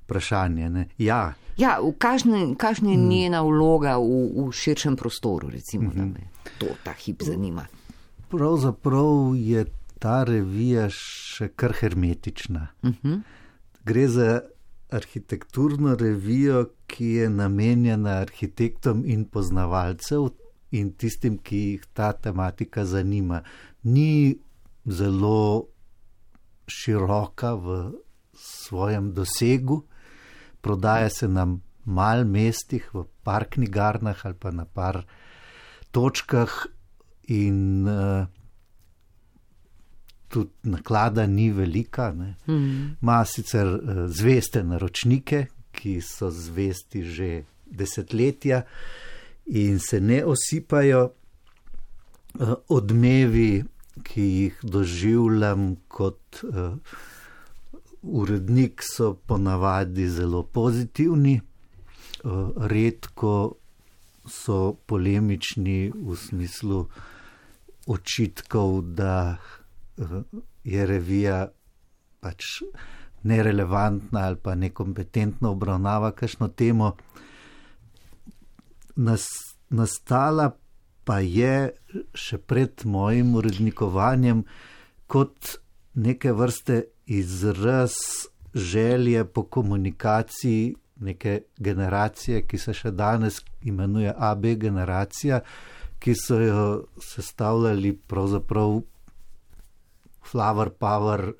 vprašanje, ne? Ja. Ja, kakšna je njena vloga v, v širšem prostoru, recimo, mm-hmm. da me to ta hip zanima. Pravzaprav je ta revija še kar hermetična. Mm-hmm. Gre za arhitekturno revijo, ki je namenjena arhitektom in poznavalcev in tistim, ki jih ta tematika zanima. Ni zelo široka v svojem dosegu, prodaja se na mal mestih, v par knjigarnah ali pa na par točkah in uh, tudi naklada ni velika. Ne. Mm. Ma sicer uh, zveste naročnike, ki so zvesti že desetletja in se ne osipajo. Uh, odmevi, ki jih doživljam kot uh, urednik, so ponavadi zelo pozitivni, redko so polemični v smislu očitkov, da je revija pač nerelevantna ali pa nekompetentno obravnava kakšno temo. Nas, nastala pa je še pred mojim urednikovanjem kot neke vrste izraz želje po komunikaciji neke generacije, ki se še danes imenuje A B generacija, ki so jo sestavljali pravzaprav flower power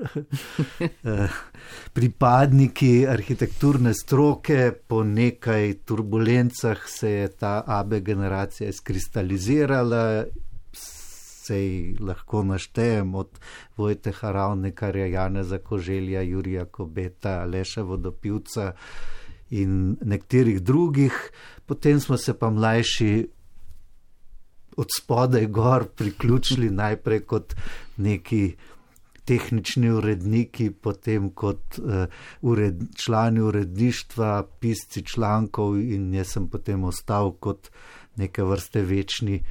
pripadniki arhitekturne stroke. Po nekaj turbulencah se je ta A B generacija izkristalizirala. Sej lahko naštejem od Vojteha Ravnikarja, Janeza Koželja, Jurija Kobeta, Aleša Vodopivca in nekaterih drugih. Potem smo se pa mlajši od spodaj gor priključili najprej kot neki tehnični uredniki, potem kot uh, ured, člani uredništva, pisci člankov in jaz sem potem ostal kot neke vrste večni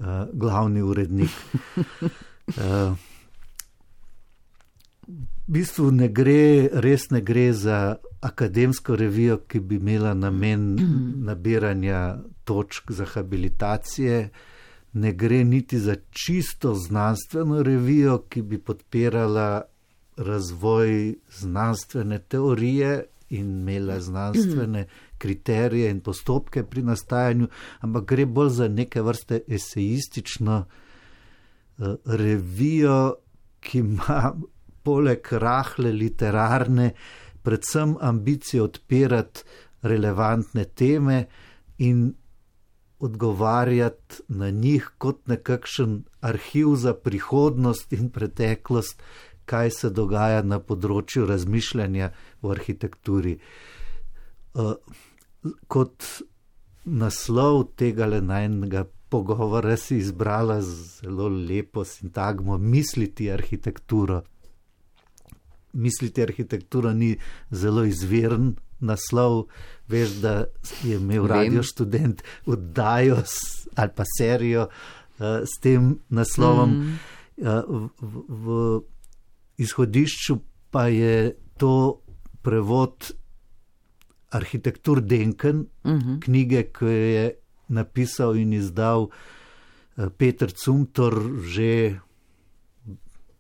Uh, glavni urednik. Uh, v bistvu ne gre, res ne gre za akademsko revijo, ki bi imela namen nabiranja točk za habilitacije, ne gre niti za čisto znanstveno revijo, ki bi podpirala razvoj znanstvene teorije in imela znanstvene kriterije in postopke pri nastajanju, ampak gre bolj za neke vrste esejistično uh, revijo, ki ima poleg rahle literarne predvsem ambicijo odpirati relevantne teme in odgovarjati na njih kot nekakšen arhiv za prihodnost in preteklost, kaj se dogaja na področju razmišljanja v arhitekturi. Uh, kot naslov tega najnega pogovora si izbrala zelo lepo sintagmo misliti arhitekturo. Misliti arhitектuro ni zelo izviren naslov, veš, da je imel Radio Študent oddajo ali pa serijo uh, s tem naslovom. Mm. Uh, v, v izhodišču pa je to prevod Arhitektur Denken, uh-huh. knjige, ki je napisal in izdal Peter Zumthor že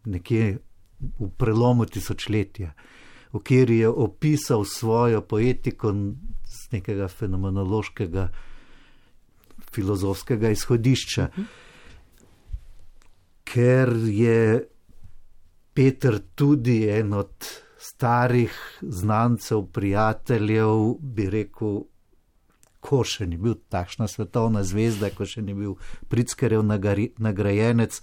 nekje v prelomu tisočletja, v kateri je opisal svojo poetiko z nekega fenomenološkega, filozofskega izhodišča. Uh-huh. Ker je Peter tudi en od starih znancev, prijateljev, bi rekel, ko še ni bil takšna svetovna zvezda, ko še ni bil Pritzkerjev nagrajenec,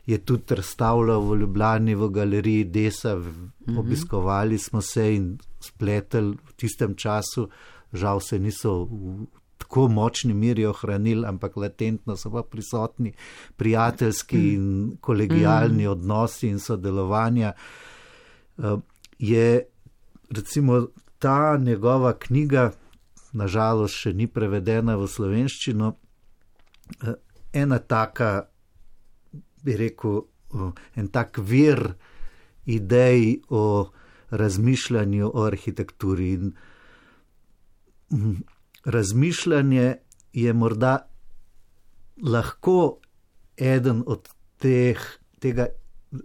je tudi razstavljal v Ljubljani v galeriji Desa, mm-hmm. obiskovali smo se in spletel v tistem času, žal se niso v tako močni miri ohranili, ampak latentno so pa prisotni prijateljski mm. in kolegijalni mm. odnosi in sodelovanja. Je recimo ta njegova knjiga, nažalost še ni prevedena v slovenščino, ena taka, bi rekel, en tak vir idej o razmišljanju o arhitekturi. In razmišljanje je morda lahko eden od teh, tega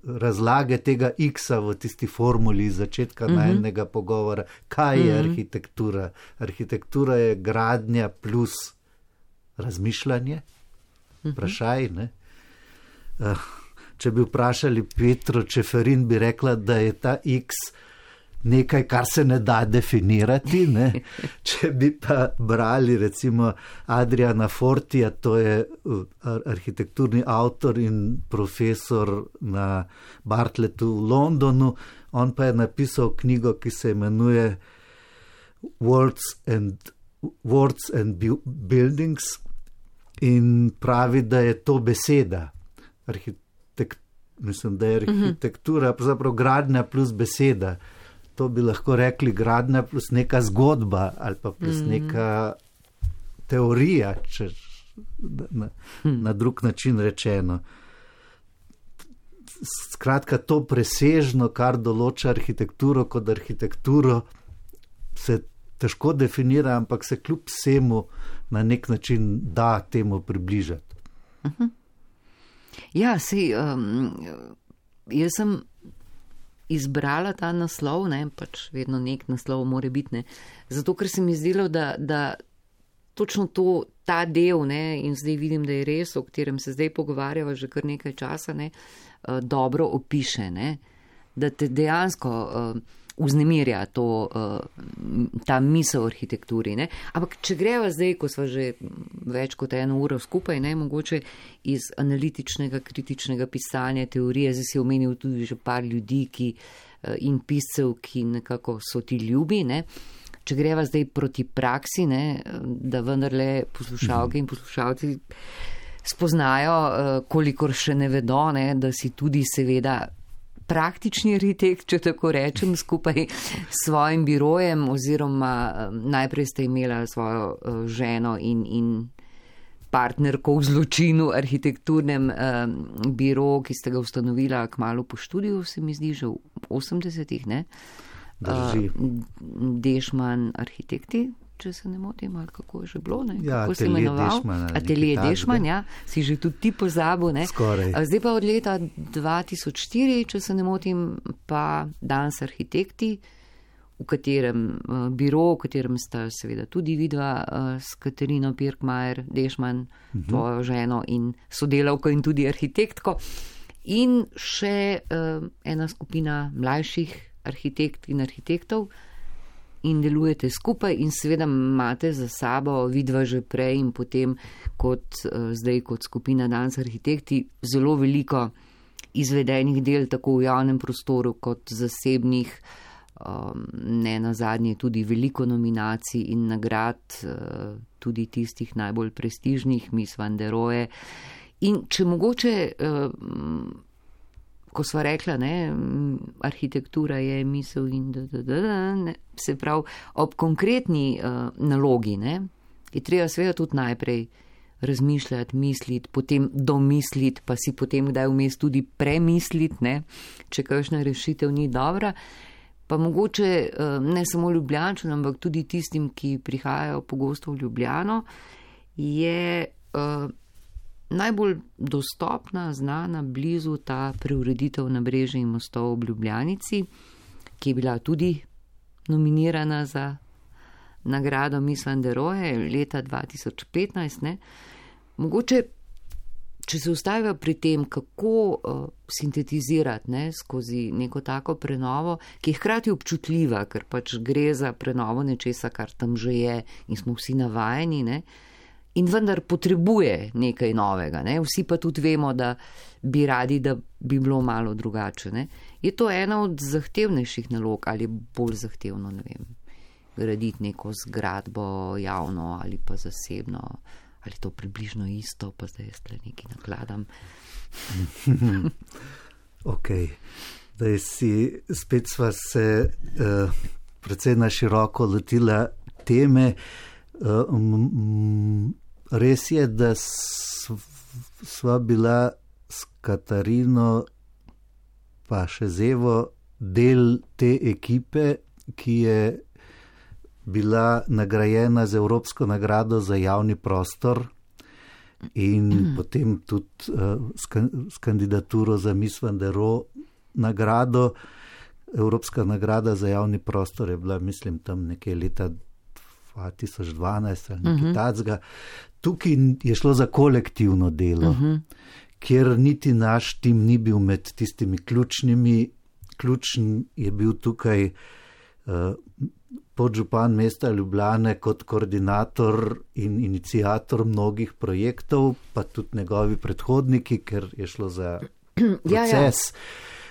razlage tega X-a v tisti formuli začetka mm-hmm. najnega pogovora. Kaj je mm-hmm. arhitektura? Arhitektura je gradnja plus razmišljanje. Vprašaj, ne? Če bi vprašali Petro Čeferin, bi rekla, da je ta X nekaj, kar se ne da definirati. Ne? Če bi pa brali recimo Adriana Fortija, to je arhitekturni avtor in profesor na Bartlettu v Londonu, on pa je napisal knjigo, ki se imenuje Words and, Words and Buildings in pravi, da je to beseda. Arhitekt, mislim, da je arhitektura mm-hmm. zapravo gradnja plus beseda. To bi lahko rekli gradnja plus neka zgodba ali pa plus mm. neka teorija, če na, na drug način rečeno. Skratka, to presežno, kar določa arhitekturo kot arhitekturo, se težko definira, ampak se kljub vsemu na nek način da temu približati. Uh-huh. Ja, si, um, jaz sem izbrala ta naslov, ne, pač vedno nek naslov more biti, ne, zato ker se mi zdelo, da, da točno to, ta del, ne, in zdaj vidim, da je res, o katerem se zdaj pogovarjava že kar nekaj časa, ne, dobro opiše, ne, da te dejansko uh, vznemirja to, uh, ta misel o arhitekturi, ne, ampak če greva zdaj, ko sva že več kot eno uro skupaj, ne, mogoče iz analitičnega, kritičnega pisanja, teorije, zdaj si omenil tudi že par ljudi, ki, uh, in piscev, ki nekako so ti ljubi, ne, če greva zdaj proti praksi, ne, da vendarle poslušalke in poslušalci spoznajo, uh, kolikor še ne vedo, ne, da si tudi seveda praktični arhitekt, če tako rečem, skupaj s svojim birojem, oziroma um, najprej ste imela svojo uh, ženo in, in partnerko v zločinu arhitekturnem um, biro, ki ste ga ustanovila kmalu po študiju, se mi zdi, že v osemdesetih, ne? Drži. Uh, Dešman arhitekti, če se ne motim, ali kako je že bilo, ne? Ja, kako se imenoval? Atelje Dešman, ja, si že tudi ti pozabil, ne? Skoraj. Zdaj pa od leta dva tisoč štiri, če se ne motim, pa Danes arhitekti, v katerem uh, biro, v katerem sta seveda tudi vidva uh, s Katarino Pirkmajer Dešman, uh-huh. tvojo ženo in sodelavko in tudi arhitektko, in še uh, ena skupina mlajših arhitekt in arhitektov, in delujete skupaj in seveda imate za sabo, vidva že prej in potem kot uh, zdaj kot skupina Danes arhitekti, zelo veliko izvedenih del tako v javnem prostoru kot zasebnih, um, ne nazadnje tudi veliko nominacij in nagrad, uh, tudi tistih najbolj prestižnih, Miss Van der Rohe. In če mogoče, uh, ko sva rekla, ne, arhitektura je misel in da, da, da, da, ne, se pravi, ob konkretni uh, nalogi, ne, je treba seveda tudi najprej razmišljati, misliti, potem domisliti, pa si potem kdaj vmes tudi premisliti, ne, če kakšna rešitev ni dobra, pa mogoče uh, ne samo Ljubljančanom, ampak tudi tistim, ki prihajajo pogosto v Ljubljano, je uh, najbolj dostopna, znana, blizu ta preureditev Nabrežja in mostov ob Ljubljanici, ki je bila tudi nominirana za nagrado Miss Van der Rohe leta dva tisoč petnajst. Ne. Mogoče če se ustavijo pri tem, kako uh, sintetizirati ne, skozi neko tako prenovo, ki je hkrati občutljiva, ker pač gre za prenovo nečesa, kar tam že je in smo vsi navajeni, ne, in vendar potrebuje nekaj novega. Ne. Vsi pa tudi vemo, da bi radi, da bi bilo malo drugače. Ne. Je to ena od zahtevnejših nalog ali bolj zahtevno, ne vem, graditi neko zgradbo javno ali pa zasebno, ali to približno isto, pa zdaj jaz tle nekaj nakladam. Ok, zdaj si, spet sva se uh, precej na široko lotila teme. Uh, m, res je, da sva bila s Katarino pa še z Evo del te ekipe, ki je bila nagrajena z Evropsko nagrado za javni prostor in mm. potem tudi uh, s, s kandidaturo za Miss Van der Rohe nagrado. Evropska nagrada za javni prostor je bila, mislim, tam nekje leta dva tisoč dvanajst ali nekaj mm-hmm. tacga. Tukaj je šlo za kolektivno delo, mm-hmm. kjer niti naš tim ni bil med tistimi ključnimi. Ključen je bil tukaj uh, podžupan mesta Ljubljane kot koordinator in iniciator mnogih projektov, pa tudi njegovi predhodniki, ker je šlo za proces. Ja, ja.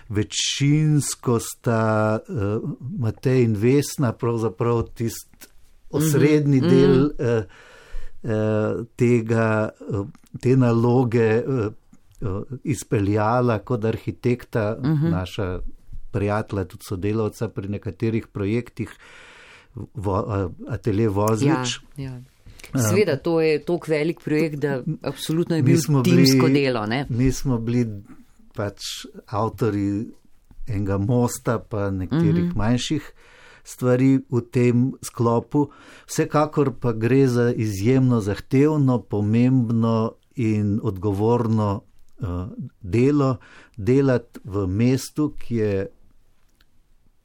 Večinsko sta uh, Matej in Vesna pravzaprav tist osrednji mm-hmm. del uh, uh, tega, uh, te naloge uh, uh, izpeljala kot arhitekta, mm-hmm. naša prijatelja, tudi sodelavca pri nekaterih projektih, vo, Atelje Vozlič. Ja, ja. Sveda, to je toliko velik projekt, da absolutno je bil timsko bili, delo. Ne? Mi smo bili pač avtori enega mosta, pa nekaterih mm-hmm. manjših stvari v tem sklopu. Vsekakor pa gre za izjemno zahtevno, pomembno in odgovorno uh, delo, delati v mestu, ki je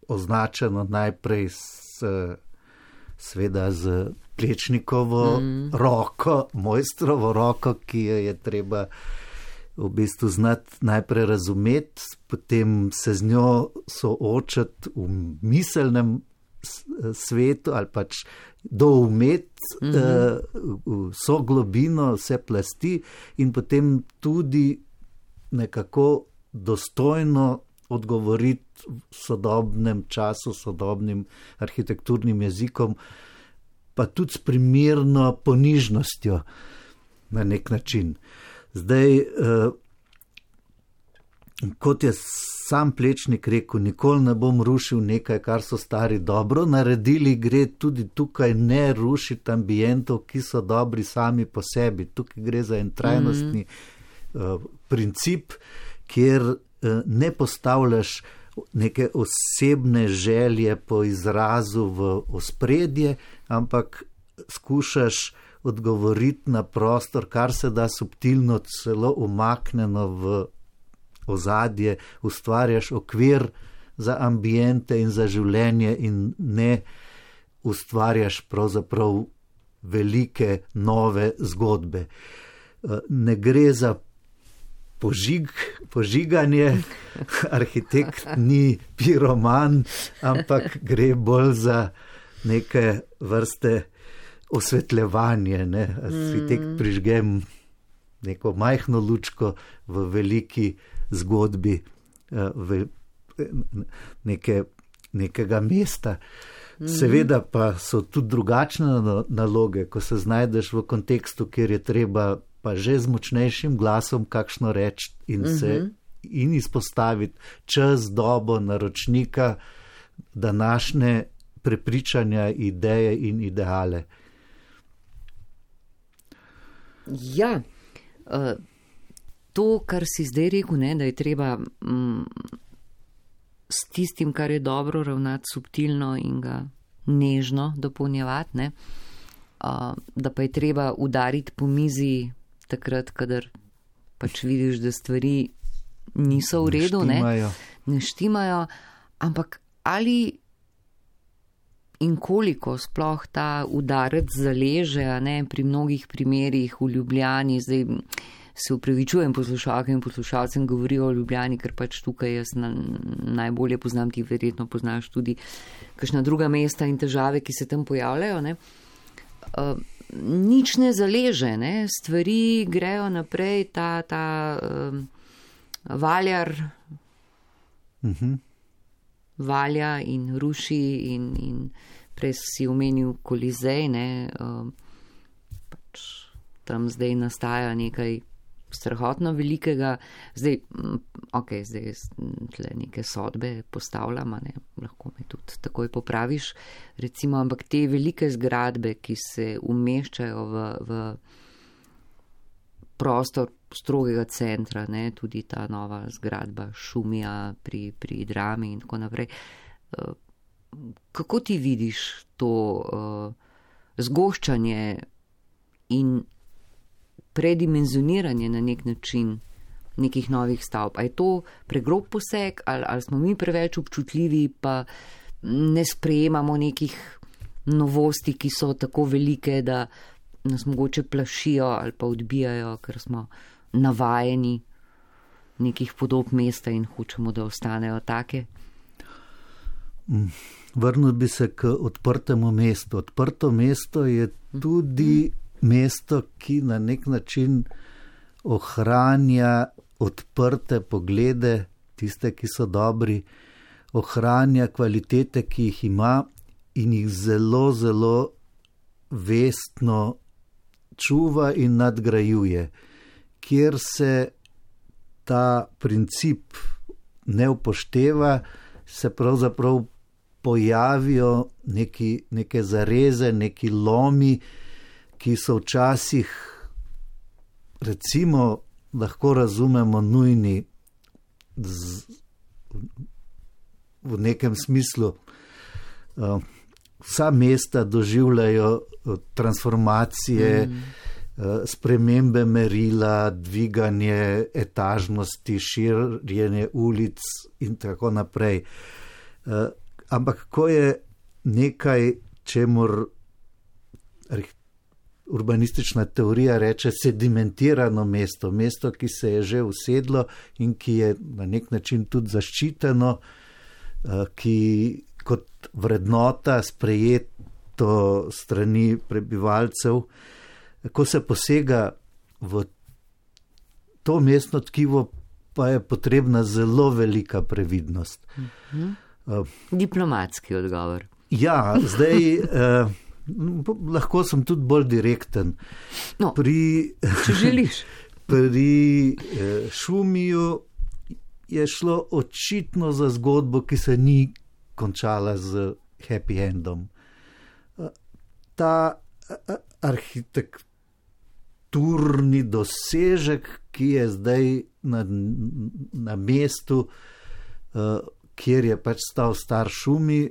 označeno najprej s, sveda z Plečnikovo mm. roko, mojstrovo roko, ki jo je treba v bistvu znati najprej razumeti, potem se z njo soočati v miselnem svetu ali pač doumeti mm-hmm. vso globino, vse plasti in potem tudi nekako dostojno odgovoriti v sodobnem času, sodobnim arhitekturnim jezikom, pa tudi s primerno ponižnostjo na nek način. Zdaj, eh, kot je sam Plečnik rekel, nikoli ne bom rušil nekaj, kar so stari dobro naredili, gre tudi tukaj ne rušiti ambientov, ki so dobri sami po sebi. Tukaj gre za en trajnostni mm-hmm. eh, princip, kjer eh, ne postavljaš neke osebne želje po izrazu v ospredje, ampak skušaš odgovoriti na prostor, kar se da subtilno, celo umaknjeno v ozadje, ustvarjaš okvir za ambiente in za življenje in ne ustvarjaš pravzaprav velike nove zgodbe. Ne gre za požig, požiganje, arhitekt ni piroman, ampak gre bolj za neke vrste osvetljevanje, ne? Arhitekt prižgem neko majhno lučko v veliki zgodbi v neke, nekega mesta. Seveda pa so tudi drugačne naloge, ko se znajdeš v kontekstu, kjer je treba pa že z močnejšim glasom kakšno reči in se in izpostaviti čas, dobo, naročnika, današnje prepričanja, ideje in ideale. Ja, to, kar si zdaj rekel, ne, da je treba mm, s tistim, kar je dobro, ravnati subtilno in ga nežno dopolnjevati, ne, da pa je treba udariti po mizi takrat, kadar pač vidiš, da stvari niso v redu, ne, ne štimajo, ampak ali in koliko sploh ta udarec zaleže, ne, pri mnogih primerih v Ljubljani, zdaj se upravičujem poslušalkam in poslušalcem, govorijo o Ljubljani, ker pač tukaj jaz na, najbolje poznam, ti verjetno poznaš tudi kakšna druga mesta in težave, ki se tam pojavljajo. Ne? Uh, nič ne zaleže, ne? Stvari grejo naprej, ta, ta uh, valjar uh-huh. valja in ruši in, in prej si omenil Kolizej, ne? Uh, pač tam zdaj nastaja nekaj strahotno velikega, zdaj, ok, zdaj tle neke sodbe postavljam, ne, lahko me tudi takoj popraviš, recimo, ampak te velike zgradbe, ki se umeščajo v, v prostor strogega centra, ne, tudi ta nova zgradba Šumija pri, pri Drami in tako naprej. Kako ti vidiš to uh, zgoščanje in predimenzioniranje na nek način nekih novih stavb? A je to pregrob poseg ali, ali smo mi preveč občutljivi pa ne sprejemamo nekih novosti, ki so tako velike, da nas mogoče plašijo ali pa odbijajo, ker smo navajeni nekih podob mesta in hočemo, da ostanejo take? Vrnil bi se k odprtemu mestu. Odprto mesto je tudi mesto, ki na nek način ohranja odprte poglede, tiste, ki so dobri, ohranja kvalitete, ki jih ima in jih zelo, zelo vestno čuva in nadgrajuje. Kjer se ta princip ne upošteva, se pravzaprav pojavijo neki, neke zareze, neki lomi, ki so včasih, recimo, lahko razumemo nujni z, v nekem smislu. Uh, vsa mesta doživljajo transformacije, mm. uh, spremembe merila, dviganje etažnosti, širjenje ulic in tako naprej. Uh, ampak ko je nekaj, čemur urbanistična teorija reče sedimentirano mesto, mesto, ki se je že usedlo in ki je na nek način tudi zaščiteno, ki kot vrednota sprejeto strani prebivalcev, ko se posega v to mestno tkivo, pa je potrebna zelo velika previdnost. Mhm. Uh, Diplomatski odgovor. Ja, zdaj... Uh, lahko sem tudi bolj direkten. No, pri, če želiš. Pri eh, Šumiju je šlo očitno za zgodbo, ki se ni končala z happy endom. Ta arhitekturni dosežek, ki je zdaj na, na mestu, eh, kjer je pač stal star Šumi,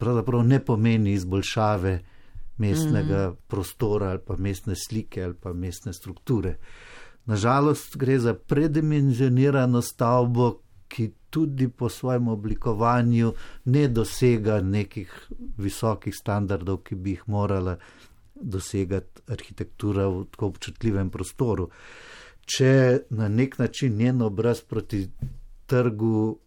pravzaprav ne pomeni izboljšave mestnega mm. prostora ali pa mestne slike ali pa mestne strukture. Nažalost gre za predimenzionirano stavbo, ki tudi po svojem oblikovanju ne dosega nekih visokih standardov, ki bi jih morala dosegati arhitektura v tako občutljivem prostoru. Če na nek način njen obraz proti trgu,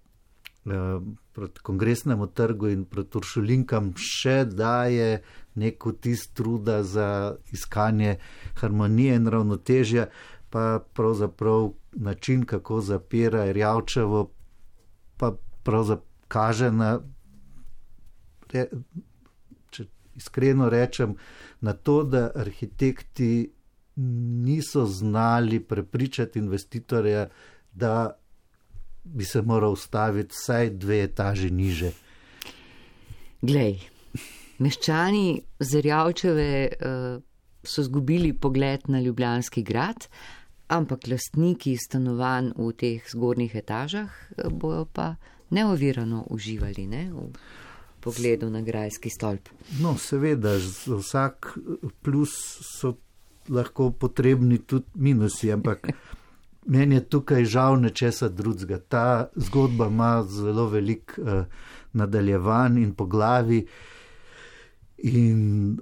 proti Kongresnemu trgu in proti Uršulinkam še daje nek vtis truda za iskanje harmonije in ravnotežja, pa pravzaprav način, kako zapira Erjavčevo, pa pravzaprav kaže na, če iskreno rečem, na to, da arhitekti niso znali prepričati investitorja, da bi se moral ustaviti vsaj dve etaži niže. Glej, meščani Zerjavčeve uh, so zgubili pogled na Ljubljanski grad, ampak lastniki stanovanj v teh zgornjih etažah bojo pa neovirano uživali, ne, v pogledu na grajski stolp. No, seveda, za vsak plus so lahko potrebni tudi minusi, ampak meni je tukaj žal nečesa drugega. Ta zgodba ima zelo velik uh, nadaljevanj in poglavi in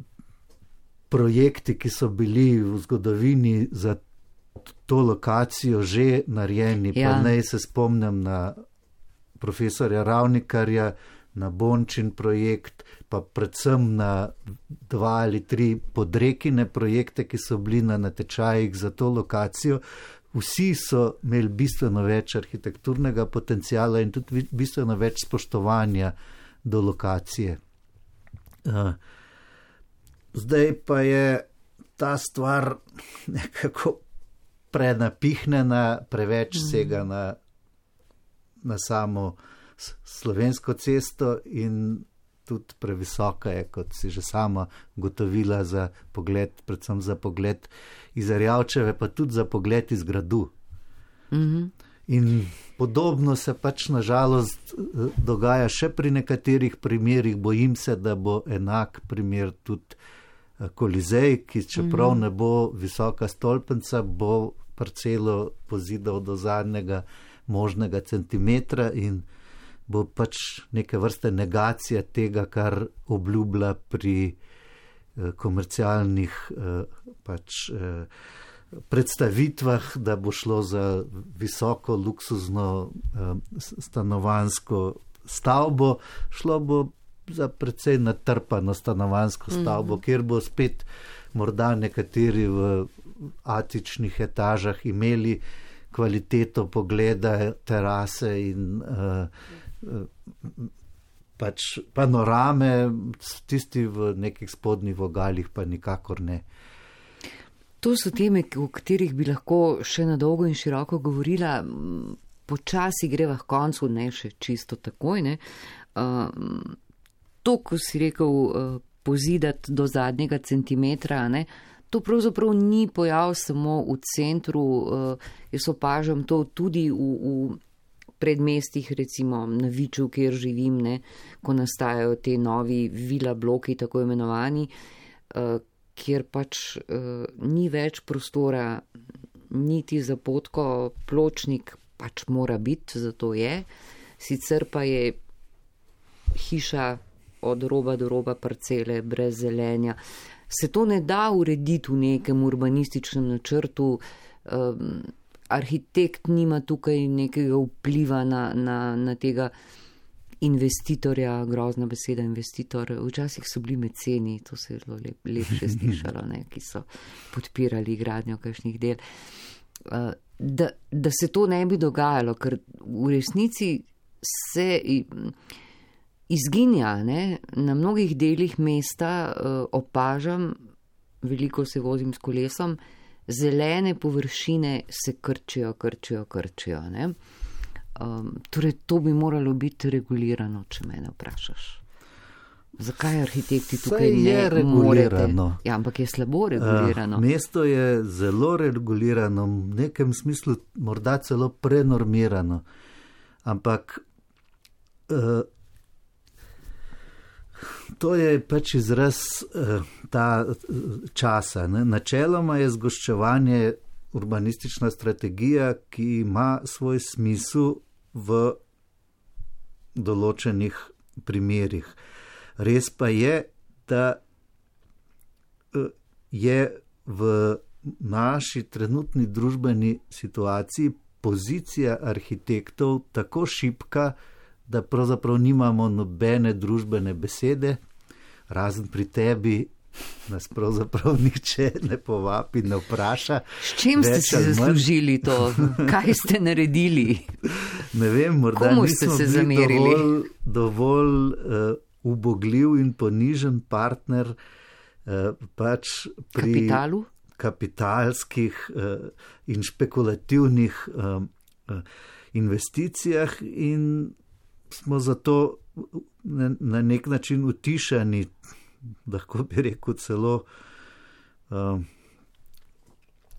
projekti, ki so bili v zgodovini za to lokacijo že narejeni. Ja. Pa naj se spomnim na profesorja Ravnikarja, na Bončin projekt, pa predvsem na dva ali tri podrekine projekte, ki so bili na natečajih za to lokacijo. Vsi so imeli bistveno več arhitekturnega potencijala in tudi bistveno več spoštovanja do lokacije. Zdaj pa je ta stvar nekako prenapihnjena, preveč sega na, na samo Slovensko cesto in tudi previsoka je, kot si že sama gotovila, za pogled, predvsem za pogled iz Erjavčeve, pa tudi za pogled iz gradu. Mm-hmm. In podobno se pač nažalost dogaja še pri nekaterih primerih. Bojim se, da bo enak primer tudi Kolizej, ki čeprav mm-hmm. ne bo visoka stolpenca, bo parcelo pozidal do zadnjega možnega centimetra in bo pač neke vrste negacija tega, kar obljublja pri eh, komercialnih eh, pač, eh, predstavitvah, da bo šlo za visoko luksuzno eh, stanovansko stavbo, šlo bo za precej natrpano stanovansko stavbo, mm-hmm. kjer bo spet morda nekateri v atičnih etažah imeli kvaliteto pogleda, terase in uh, pač panorame, tisti v nekih spodnjih vogalih pa nikakor ne. To so teme, o katerih bi lahko še na dolgo in široko govorila. Počasi greva k koncu, ne še čisto takoj. Ne. Uh, to, ko si rekel, uh, pozidati do zadnjega centimetra, ne, to pravzaprav ni pojav samo v centru. Uh, jaz opažam to tudi v, v predmestih, recimo na Viču, kjer živim, ne, ko nastajajo te novi vila bloki, tako imenovani, uh, kjer pač uh, ni več prostora, niti za potko, pločnik pač mora biti, zato je. Sicer pa je hiša od roba do roba parcele, brez zelenja. Se to ne da urediti v nekem urbanističnem načrtu. Um, arhitekt nima tukaj nekega vpliva na, na, na tega investitorja, grozna beseda investitor. Včasih so bili meceni, to se je zelo lep, lepše slišalo, ne, ki so podpirali gradnjo kakšnih del. Uh, da, da se to ne bi dogajalo, ker v resnici se izginja, ne, na mnogih delih mesta uh, opažam, veliko se vozim s kolesom, zelene površine se krčijo, krčijo, krčijo. Ne? Um, torej, to bi moralo biti regulirano, če mene vprašaš. Zakaj arhitekti tukaj Saj ne je regulirano? Morete? Ja, ampak je slabo regulirano. Uh, mesto je zelo regulirano, v nekem smislu morda celo prenormirano. Ampak uh, to je pač izraz uh, ta časa. Ne? Načeloma je zgoščevanje urbanistična strategija, ki ima svoj smisel v določenih primerih. Res pa je, da uh, je v naši trenutni družbeni situaciji pozicija arhitektov tako šibka, da pravzaprav nimamo nobene družbene besede, razen pri tebi nas pravzaprav nihče ne povabi, ne vpraša. S čim ste se zaslužili to? Kaj ste naredili? Ne vem, morda Komu nismo ste se bili zamerili? dovolj, dovolj uh, ubogljiv in ponižen partner uh, pač pri kapitalu? kapitalskih uh, in špekulativnih uh, uh, investicijah in smo zato na, na nek način utišani, lahko bi rekel celo uh,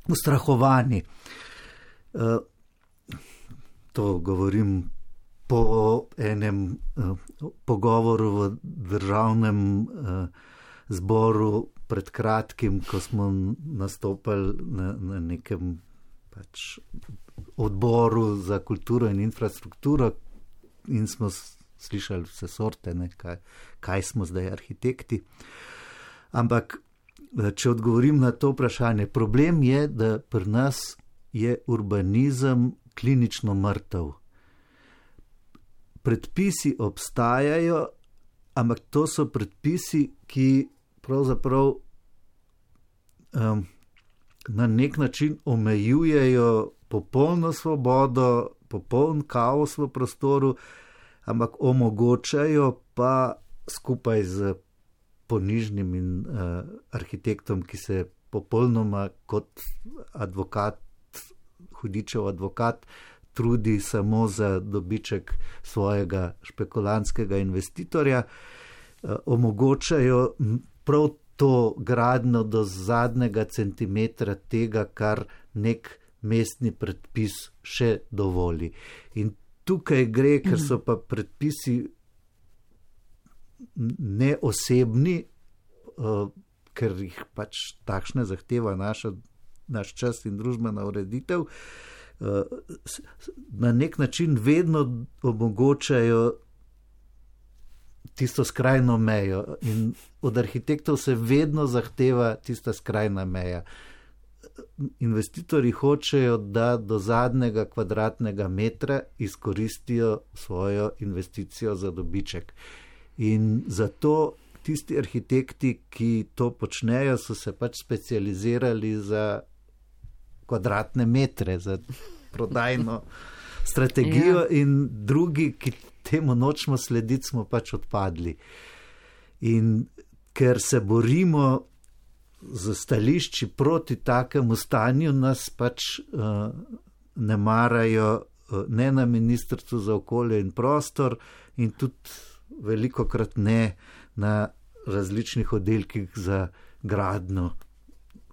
ustrahovani. Uh, to govorim po enem uh, pogovoru v državnem uh, zboru pred kratkim, ko smo nastopali na, na nekem pač odboru za kulturo in infrastrukturo, in smo slišali vse sorte, ne, kaj, kaj smo zdaj arhitekti. Ampak, če odgovorim na to vprašanje, problem je, da pri nas je urbanizem klinično mrtev. Predpisi obstajajo, ampak to so predpisi, ki pravzaprav um, na nek način omejujejo popolno svobodo, popoln kaos v prostoru, ampak omogočajo pa skupaj z ponižnim in uh, arhitektom, ki se popolnoma kot advokat, hudičev advokat, trudi samo za dobiček svojega špekulantskega investitorja, uh, omogočajo prav to gradnjo do zadnjega centimetra tega, kar nek mestni predpis še dovoli. In tukaj gre, ker so pa predpisi neosebni, uh, ker jih pač takšne zahteva naša, naš čas in družbena ureditev, uh, na nek način vedno omogočajo tisto skrajno mejo in od arhitektov se vedno zahteva tista skrajna meja. Investitorji hočejo, da do zadnjega kvadratnega metra izkoristijo svojo investicijo za dobiček. In zato tisti arhitekti, ki to počnejo, so se pač specializirali za kvadratne metre, za prodajno strategijo, ja. In drugi, ki temu nočemo slediti, smo pač odpadli. In ker se borimo z stališči proti takemu stanju, nas pač uh, ne marajo uh, ne na Ministrstvu za okolje in prostor in tudi velikokrat ne na različnih oddelkih za gradnjo,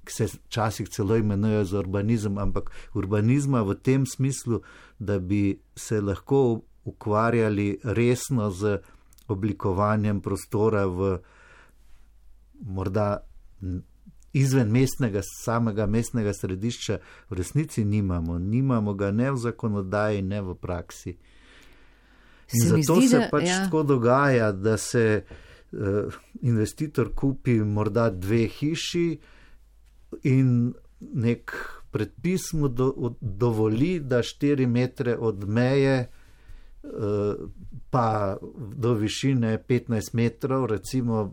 ki se včasih celo imenujejo za urbanizem, ampak urbanizma v tem smislu, da bi se lahko ukvarjali resno z oblikovanjem prostora v morda izven mestnega, samega mestnega središča, v resnici nimamo. Nimamo ga ne v zakonodaji, ne v praksi. In se zato zdi, se pač ja. tako dogaja, da se uh, investitor kupi morda dve hiši in nek predpis mu do, dovoli, da štiri metre od meje uh, pa do višine petnajst metrov, recimo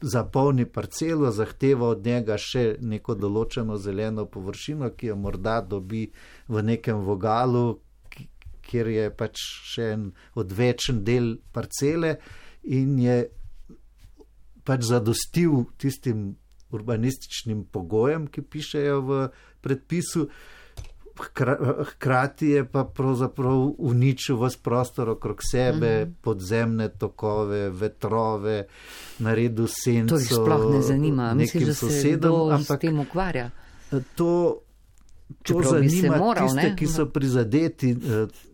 zapolni parcelo, zahteva od njega še neko določeno zeleno površino, ki jo morda dobi v nekem vogalu, kjer je pač še en odvečen del parcele in je pač zadostil tistim urbanističnim pogojem, ki pišejo v predpisu, hkrati je pa pravzaprav uničil vas prostor okrog sebe, mm-hmm. podzemne tokove, vetrove, naredil senco. To jih sploh ne zanima, misliš, da se kdo s tem ukvarja? To, to zanima moral, tiste, ne? Ki so prizadeti,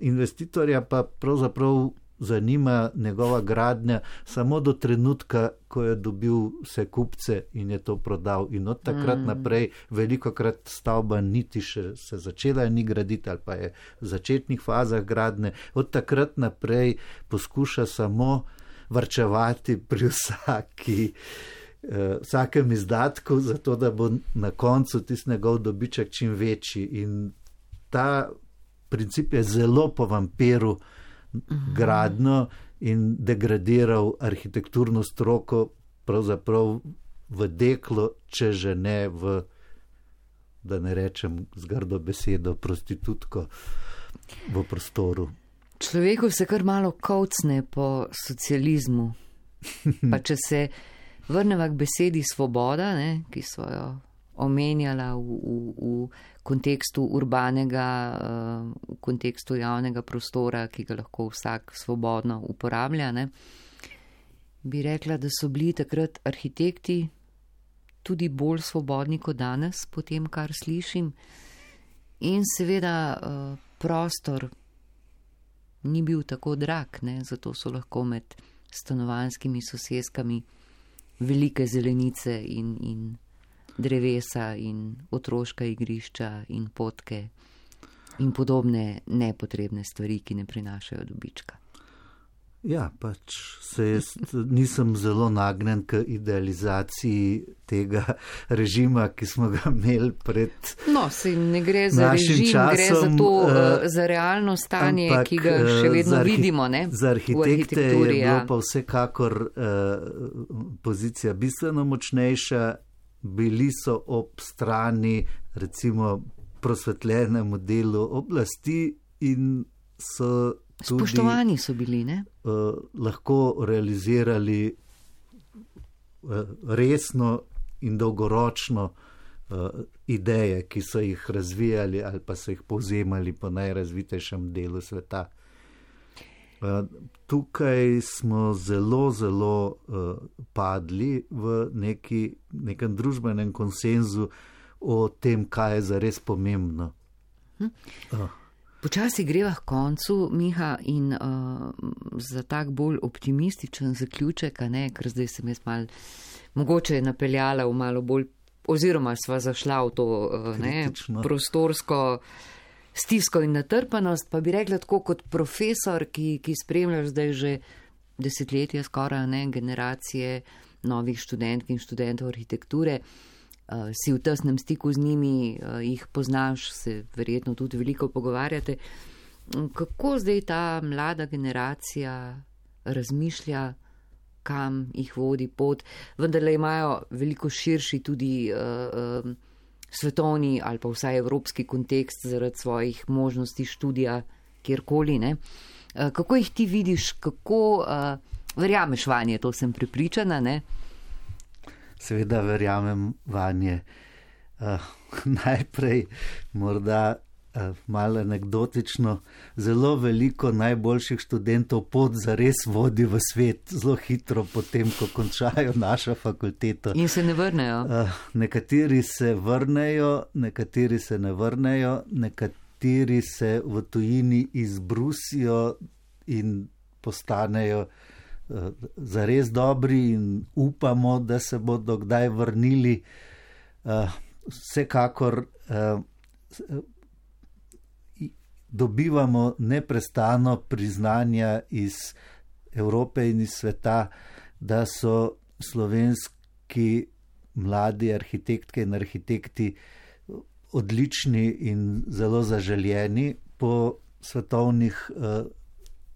investitorja pa pravzaprav zanima njegova gradnja samo do trenutka, ko je dobil vse kupce in je to prodal. In od takrat mm. naprej velikokrat stavba niti še se začela ni graditi ali pa je v začetnih fazah gradnje. Od takrat naprej poskuša samo varčevati pri vsaki, uh, vsakem izdatku, zato da bo na koncu tisti njegov dobiček čim večji. In ta princip je zelo po vampiru gradno in degradiral arhitekturno stroko pravzaprav v deklo, če že ne v, da ne rečem z grdo besedo, prostitutko v prostoru. Človeku se kar malo kovcne po socializmu. Pa če se vrneva k besedi svoboda, ne, ki so jo omenjala v, v, v kontekstu urbanega, v kontekstu javnega prostora, ki ga lahko vsak svobodno uporablja, ne, bi rekla, da so bili takrat arhitekti tudi bolj svobodni kot danes, po tem, kar slišim. In seveda prostor ni bil tako drag, ne, zato so lahko med stanovanjskimi sosedskami velike zelenice in, in drevesa in otroška igrišča in potke in podobne nepotrebne stvari, ki ne prinašajo dobička. Ja, pač se jaz nisem zelo nagnjen k idealizaciji tega režima, ki smo ga imeli pred No, se ne gre za režim, časom, gre za to, uh, za realno stanje, ampak, ki ga še vedno arhi vidimo, ne? Za arhitekte je bilo ja. pa vsekakor uh, pozicija bistveno močnejša, bili so ob strani recimo prosvetljenemu delu oblasti in so tudi, spoštovani so bili, ne? Uh, lahko realizirali uh, resno in dolgoročno uh, ideje, ki so jih razvijali ali pa so jih povzemali po najrazvitejšem delu sveta. Uh, tukaj smo zelo, zelo uh, padli v neki, nekem družbenem konsenzu o tem, kaj je zares pomembno. Hm. Uh. Počasi greva k koncu, Miha, in uh, za tak bolj optimističen zaključek, a ne, ker zdaj sem jaz mal mogoče napeljala v malo bolj, oziroma sva zašla v to uh, ne, prostorsko stisko in natrpanost, pa bi rekla tako kot profesor, ki, ki spremljaš zdaj že desetletja skoraj ne, generacije novih študentk in študentov arhitekture, Uh, si v tesnem stiku z njimi, uh, jih poznaš, se verjetno tudi veliko pogovarjate. Kako zdaj ta mlada generacija razmišlja, kam jih vodi pot? Vendarle imajo veliko širši tudi uh, uh, svetovni ali pa vsaj evropski kontekst zaradi svojih možnosti študija kjerkoli. Ne? Uh, kako jih ti vidiš, kako uh, verjameš vanje, to sem prepričana, ne? Seveda verjamem vanje. Uh, najprej morda uh, malo anekdotično, zelo veliko najboljših študentov pot zares vodi v svet, zelo hitro potem, ko končajo našo fakulteto. In se ne vrnejo? Uh, nekateri se vrnejo, nekateri se ne vrnejo, nekateri se v tujini izbrusijo in postanejo zares dobri in upamo, da se bodo kdaj vrnili. Vsekakor dobivamo neprestano priznanja iz Evrope in iz sveta, da so slovenski mladi arhitektke in arhitekti odlični in zelo zaželjeni po svetovnih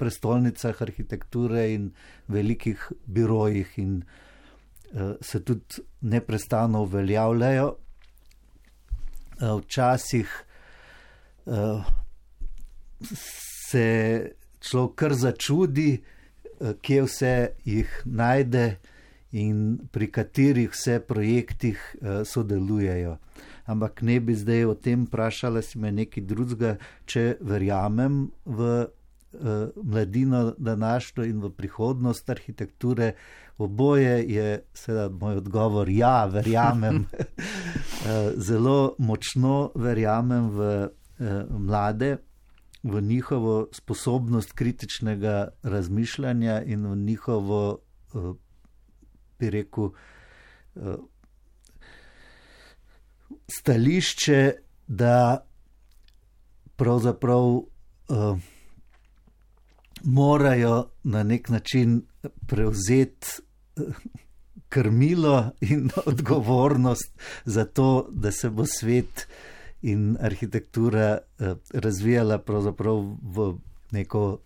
prestolnicah arhitekture in velikih birojih in uh, se tudi neprestano uveljavljajo. Uh, včasih uh, se človek kar začudi, uh, kje vse jih najde in pri katerih vse projektih uh, sodelujejo. Ampak ne bi zdaj o tem vprašala si me nekaj drugega, če verjamem v mladino današnjo in v prihodnost arhitekture. Oboje je seveda moj odgovor, ja, verjamem. Zelo močno verjamem v mlade, v njihovo sposobnost kritičnega razmišljanja in v njihovo, bi rekel, stališče, da pravzaprav morajo na nek način prevzeti krmilo in odgovornost za to, da se bo svet in arhitektura razvijala pravzaprav v neko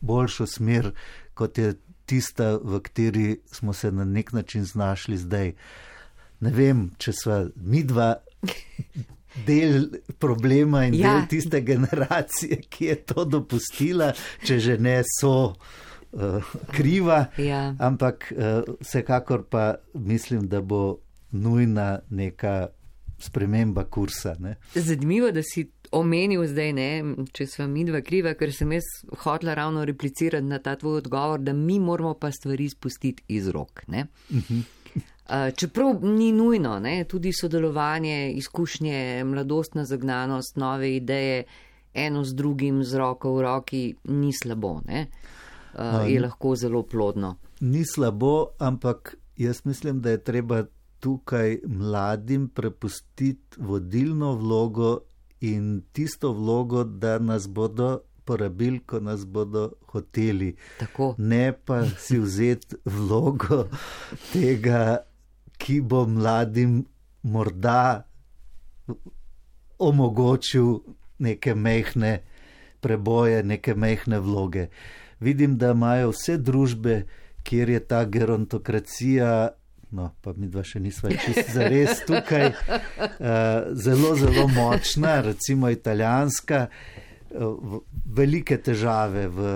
boljšo smer, kot je tista, v kateri smo se na nek način znašli zdaj. Ne vem, če sva midva del problema in ja. del tiste generacije, ki je to dopustila, če že ne so uh, kriva, ja. ampak uh, vsekakor pa mislim, da bo nujna neka sprememba kursa. Ne? Zanimivo, da si omenil zdaj, ne, če sva midva kriva, ker sem jaz hotela ravno replicirati na ta tvoj odgovor, da mi moramo pa stvari spustiti iz rok. Ne? Uh-huh. Čeprav ni nujno, ne, tudi sodelovanje, izkušnje, mladostna zagnanost, nove ideje, eno z drugim, z roko v roki, ni slabo, ne, uh, je lahko zelo plodno. Ni slabo, ampak jaz mislim, da je treba tukaj mladim prepustiti vodilno vlogo in tisto vlogo, da nas bodo porabili, ko nas bodo hoteli. Tako. Ne pa si vzeti vlogo tega, ki bo mladim morda omogočil neke mehne preboje, neke mehne vloge. Vidim, da imajo vse družbe, kjer je ta gerontokracija, no, pa mi dva še nisva čisto zares tukaj, uh, zelo, zelo močna, recimo italijanska, uh, velike težave v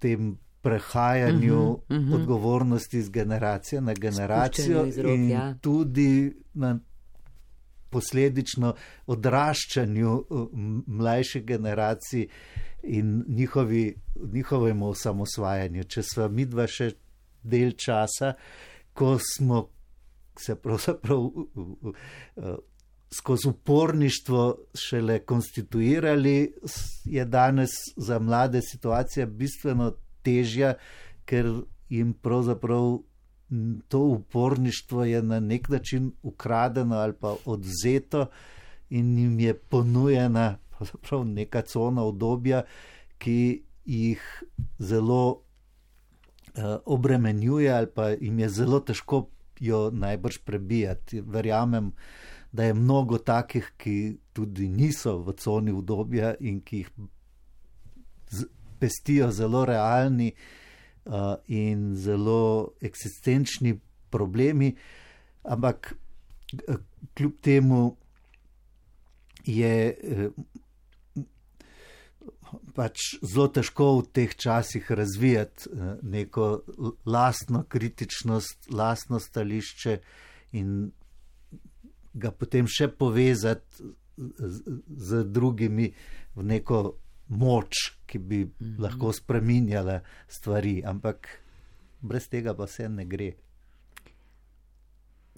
tem prehajanju uh-huh, uh-huh. odgovornosti z generacije na generacijo rok, in ja. tudi na posledično odraščanju mlajših generacij in njihovi, njihovemu osamosvajanju. Če sva mi dva še del časa, ko smo se pravzaprav skozi uporništvo šele konstituirali, je danes za mlade situacija bistveno težja, ker jim pravzaprav to uporništvo je na nek način ukradeno ali pa odvzeto in jim je ponujena pravzaprav neka cona obdobja, ki jih zelo uh, obremenjuje ali pa jim je zelo težko jo najbrž prebijati. Verjamem, da je mnogo takih, ki tudi niso v coni obdobja in ki jih z, pestijo zelo realni Uh, in zelo eksistenčni problemi, ampak kljub temu je eh, pač zelo težko v teh časih razvijati eh, neko lastno kritičnost, lastno stališče in ga potem še povezati z, z drugimi v neko moč, ki bi mm-hmm. lahko spreminjala stvari, ampak brez tega pa vse ne gre.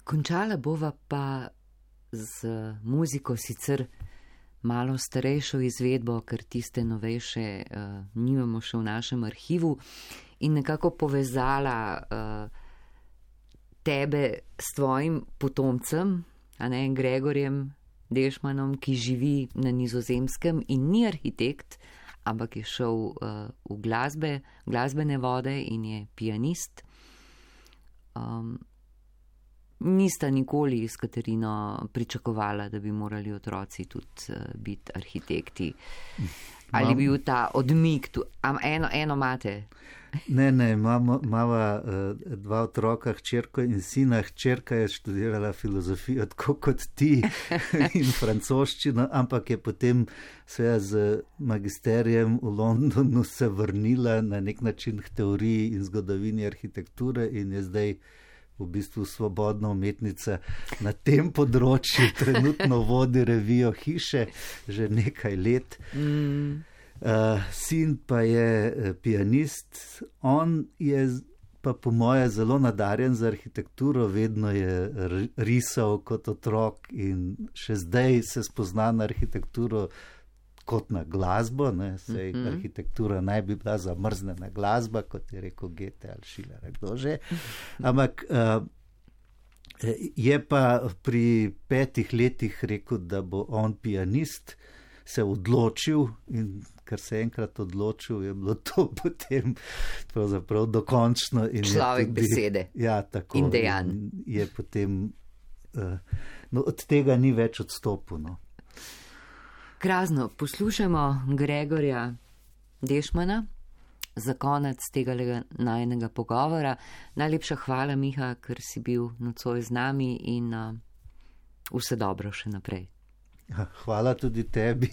Končala bova pa z muziko, sicer malo starejšo izvedbo, ker tiste novejše uh, nimamo še v našem arhivu, in nekako povezala uh, tebe s tvojim potomcem, a ne, Gregorjem Deschmannom, ki živi na Nizozemskem in ni arhitekt, ampak je šel uh, v glasbe, glasbene vode in je pianist. Um, nista nikoli s Katarino pričakovala, da bi morali otroci tudi uh, biti arhitekti. Ali bi bil ta odmik tu? Am eno, eno mate? Ne, ne, imamo, imava uh, dva otroka, hčerko in sina. Hčerka je študirala filozofijo, tako kot ti, in francoščino, ampak je potem seveda z magisterijem v Londonu se vrnila na nek način k teoriji in zgodovini arhitekture in je zdaj v bistvu svobodna umetnica na tem področju, trenutno vodi revijo Hiše že nekaj let. Mm. Uh, sin pa je pianist, on je pa po moje zelo nadarjen za arhitekturo, vedno je risal kot otrok in še zdaj se spozna na arhitekturo kot na glasbo, ne, sej mm-hmm. arhitektura naj bi bila zamrznjena glasba, kot je rekel Goethe ali Schiller, kdo že. Ampak uh, je pa pri petih letih rekel, da bo on pianist, se odločil in ker se je enkrat odločil, je bilo to potem pravzaprav dokončno. In človek tudi, besede ja, tako, in dejanj. Je potem, uh, no, od tega ni več odstopil. No. Krasno, poslušamo Gregorja Deschmanna za konec tega najinega pogovora. Najlepša hvala, Miha, ker si bil nocoj z nami in uh, vse dobro še naprej. Hvala tudi tebi.